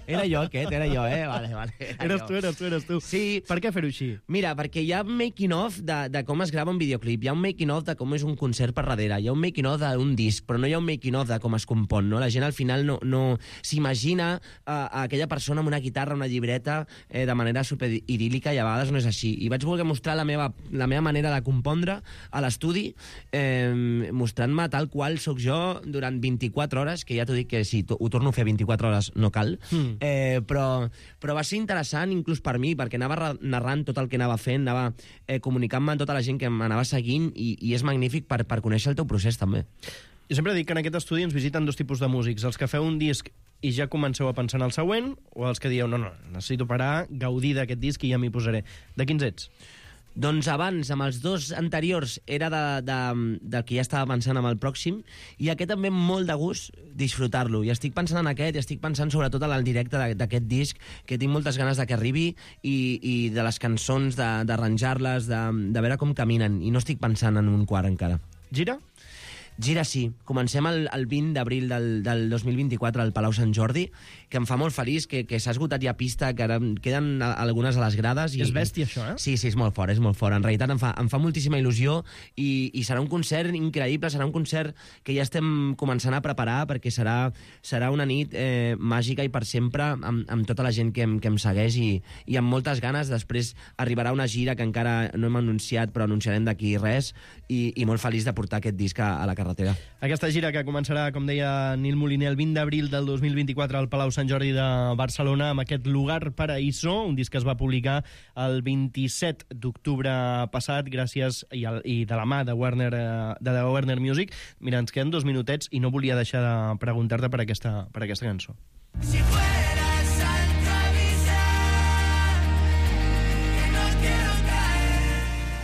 Era jo aquest, era jo, eh? Vale, vale. Era eres jo. tu, eres tu, eres tu. Sí. Per què fer-ho així? Mira, perquè hi ha making-of de, de com es grava un videoclip, hi ha un making-of de com és un concert per darrere, hi ha un making-of d'un disc, però no hi ha un making-of de com es compon, no? La gent al final no, no s'imagina uh, aquella persona amb una guitarra, una llibreta, eh, de manera superidíl·lica, i a vegades no és així. I vaig voler mostrar la meva, la meva manera de compondre a l'estudi, eh, mostrant-me tal qual sóc jo durant vint-i-quatre hores, que ja t'ho dic que si ho torno a fer vint-i-quatre hores no cal, mm. eh, però, però va ser interessant inclús per mi, perquè anava narrant tot el que anava fent, anava eh, comunicant-me amb tota la gent que m'anava seguint i, i és magnífic per, per conèixer el teu procés també. Jo sempre dic que en aquest estudi ens visiten dos tipus de músics, els que feu un disc i ja comenceu a pensar en el següent, o els que dieu, no, no, necessito parar, gaudir d'aquest disc i ja m'hi posaré. De quins ets? Doncs abans, amb els dos anteriors, era de, de, de que ja estava pensant amb el pròxim, i aquest també molt de gust disfrutar-lo. I estic pensant en aquest, i estic pensant sobretot en el directe d'aquest disc, que tinc moltes ganes de que arribi, i, i de les cançons, d'arranjar-les, de, de, de veure com caminen, i no estic pensant en un quart encara. Gira? Gira sí. Comencem el, el vint d'abril del, del dos mil vint-i-quatre al Palau Sant Jordi, que em fa molt feliç, que, que s'ha esgotat ja pista, que ara queden algunes a les grades. I, és bèstia, això, eh? Sí, sí, és molt fort, és molt fort. En realitat em fa, em fa moltíssima il·lusió i, i serà un concert increïble, serà un concert que ja estem començant a preparar, perquè serà, serà una nit eh, màgica i per sempre, amb, amb tota la gent que em, que em segueix i, i amb moltes ganes. Després arribarà una gira que encara no hem anunciat, però anunciarem d'aquí res, i, i molt feliç de portar aquest disc a, a la carretera. Aquesta gira que començarà, com deia Nil Moliner, el vint d'abril del dos mil vint-i-quatre al Palau Sant Jordi de Barcelona, amb aquest Lugar Paraíso, un disc que es va publicar el vint-i-set d'octubre passat, gràcies i, el, i de la mà de Warner, de la Warner Music. Mira, ens queden dos minutets i no volia deixar de preguntar-te per aquesta, per aquesta cançó. Si fueras al travisar, que no quiero caer.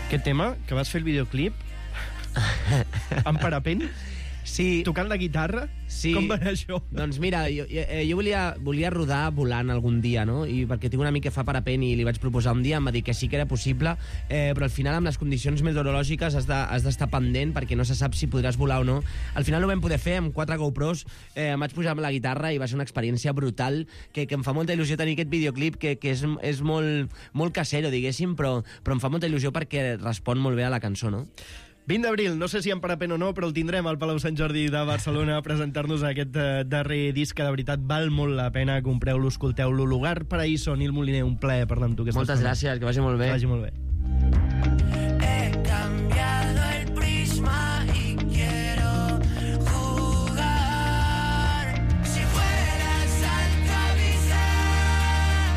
Aquest tema, que vas fer el videoclip amb parapent? Sí. Tocant la guitarra? Sí. Com va anar això? Doncs mira, jo, jo volia, volia rodar volant algun dia, no? I perquè tinc un amic que fa parapent i li vaig proposar un dia, em va dir que sí que era possible, eh, però al final amb les condicions meteorològiques has d'estar de, pendent perquè no se sap si podràs volar o no. Al final no ho vam poder fer, amb quatre GoPros eh, em vaig pujar amb la guitarra i va ser una experiència brutal, que, que em fa molta il·lusió tenir aquest videoclip, que, que és, és molt, molt casero, diguéssim, però, però em fa molta il·lusió perquè respon molt bé a la cançó, no? vint d'abril, no sé si en parapent o no, però el tindrem al Palau Sant Jordi de Barcelona a presentar-nos aquest eh, darrer disc, que de veritat val molt la pena. Compreu-lo, escolteu-lo. Lugar Paraíso, Nil Moliner, un plaer parlar amb tu. Moltes gràcies, que vagi molt bé. Que vagi molt bé. He cambiado el prisma y quiero jugar. Si fueras al travisar,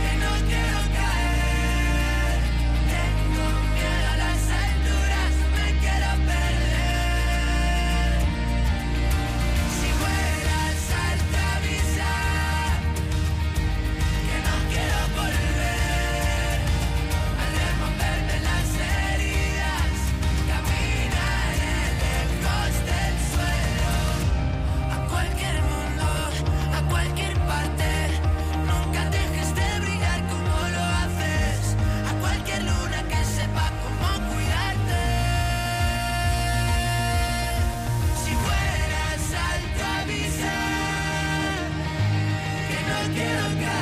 que no quiero caer. Tengo miedo a las alturas, me quiero quiero caer.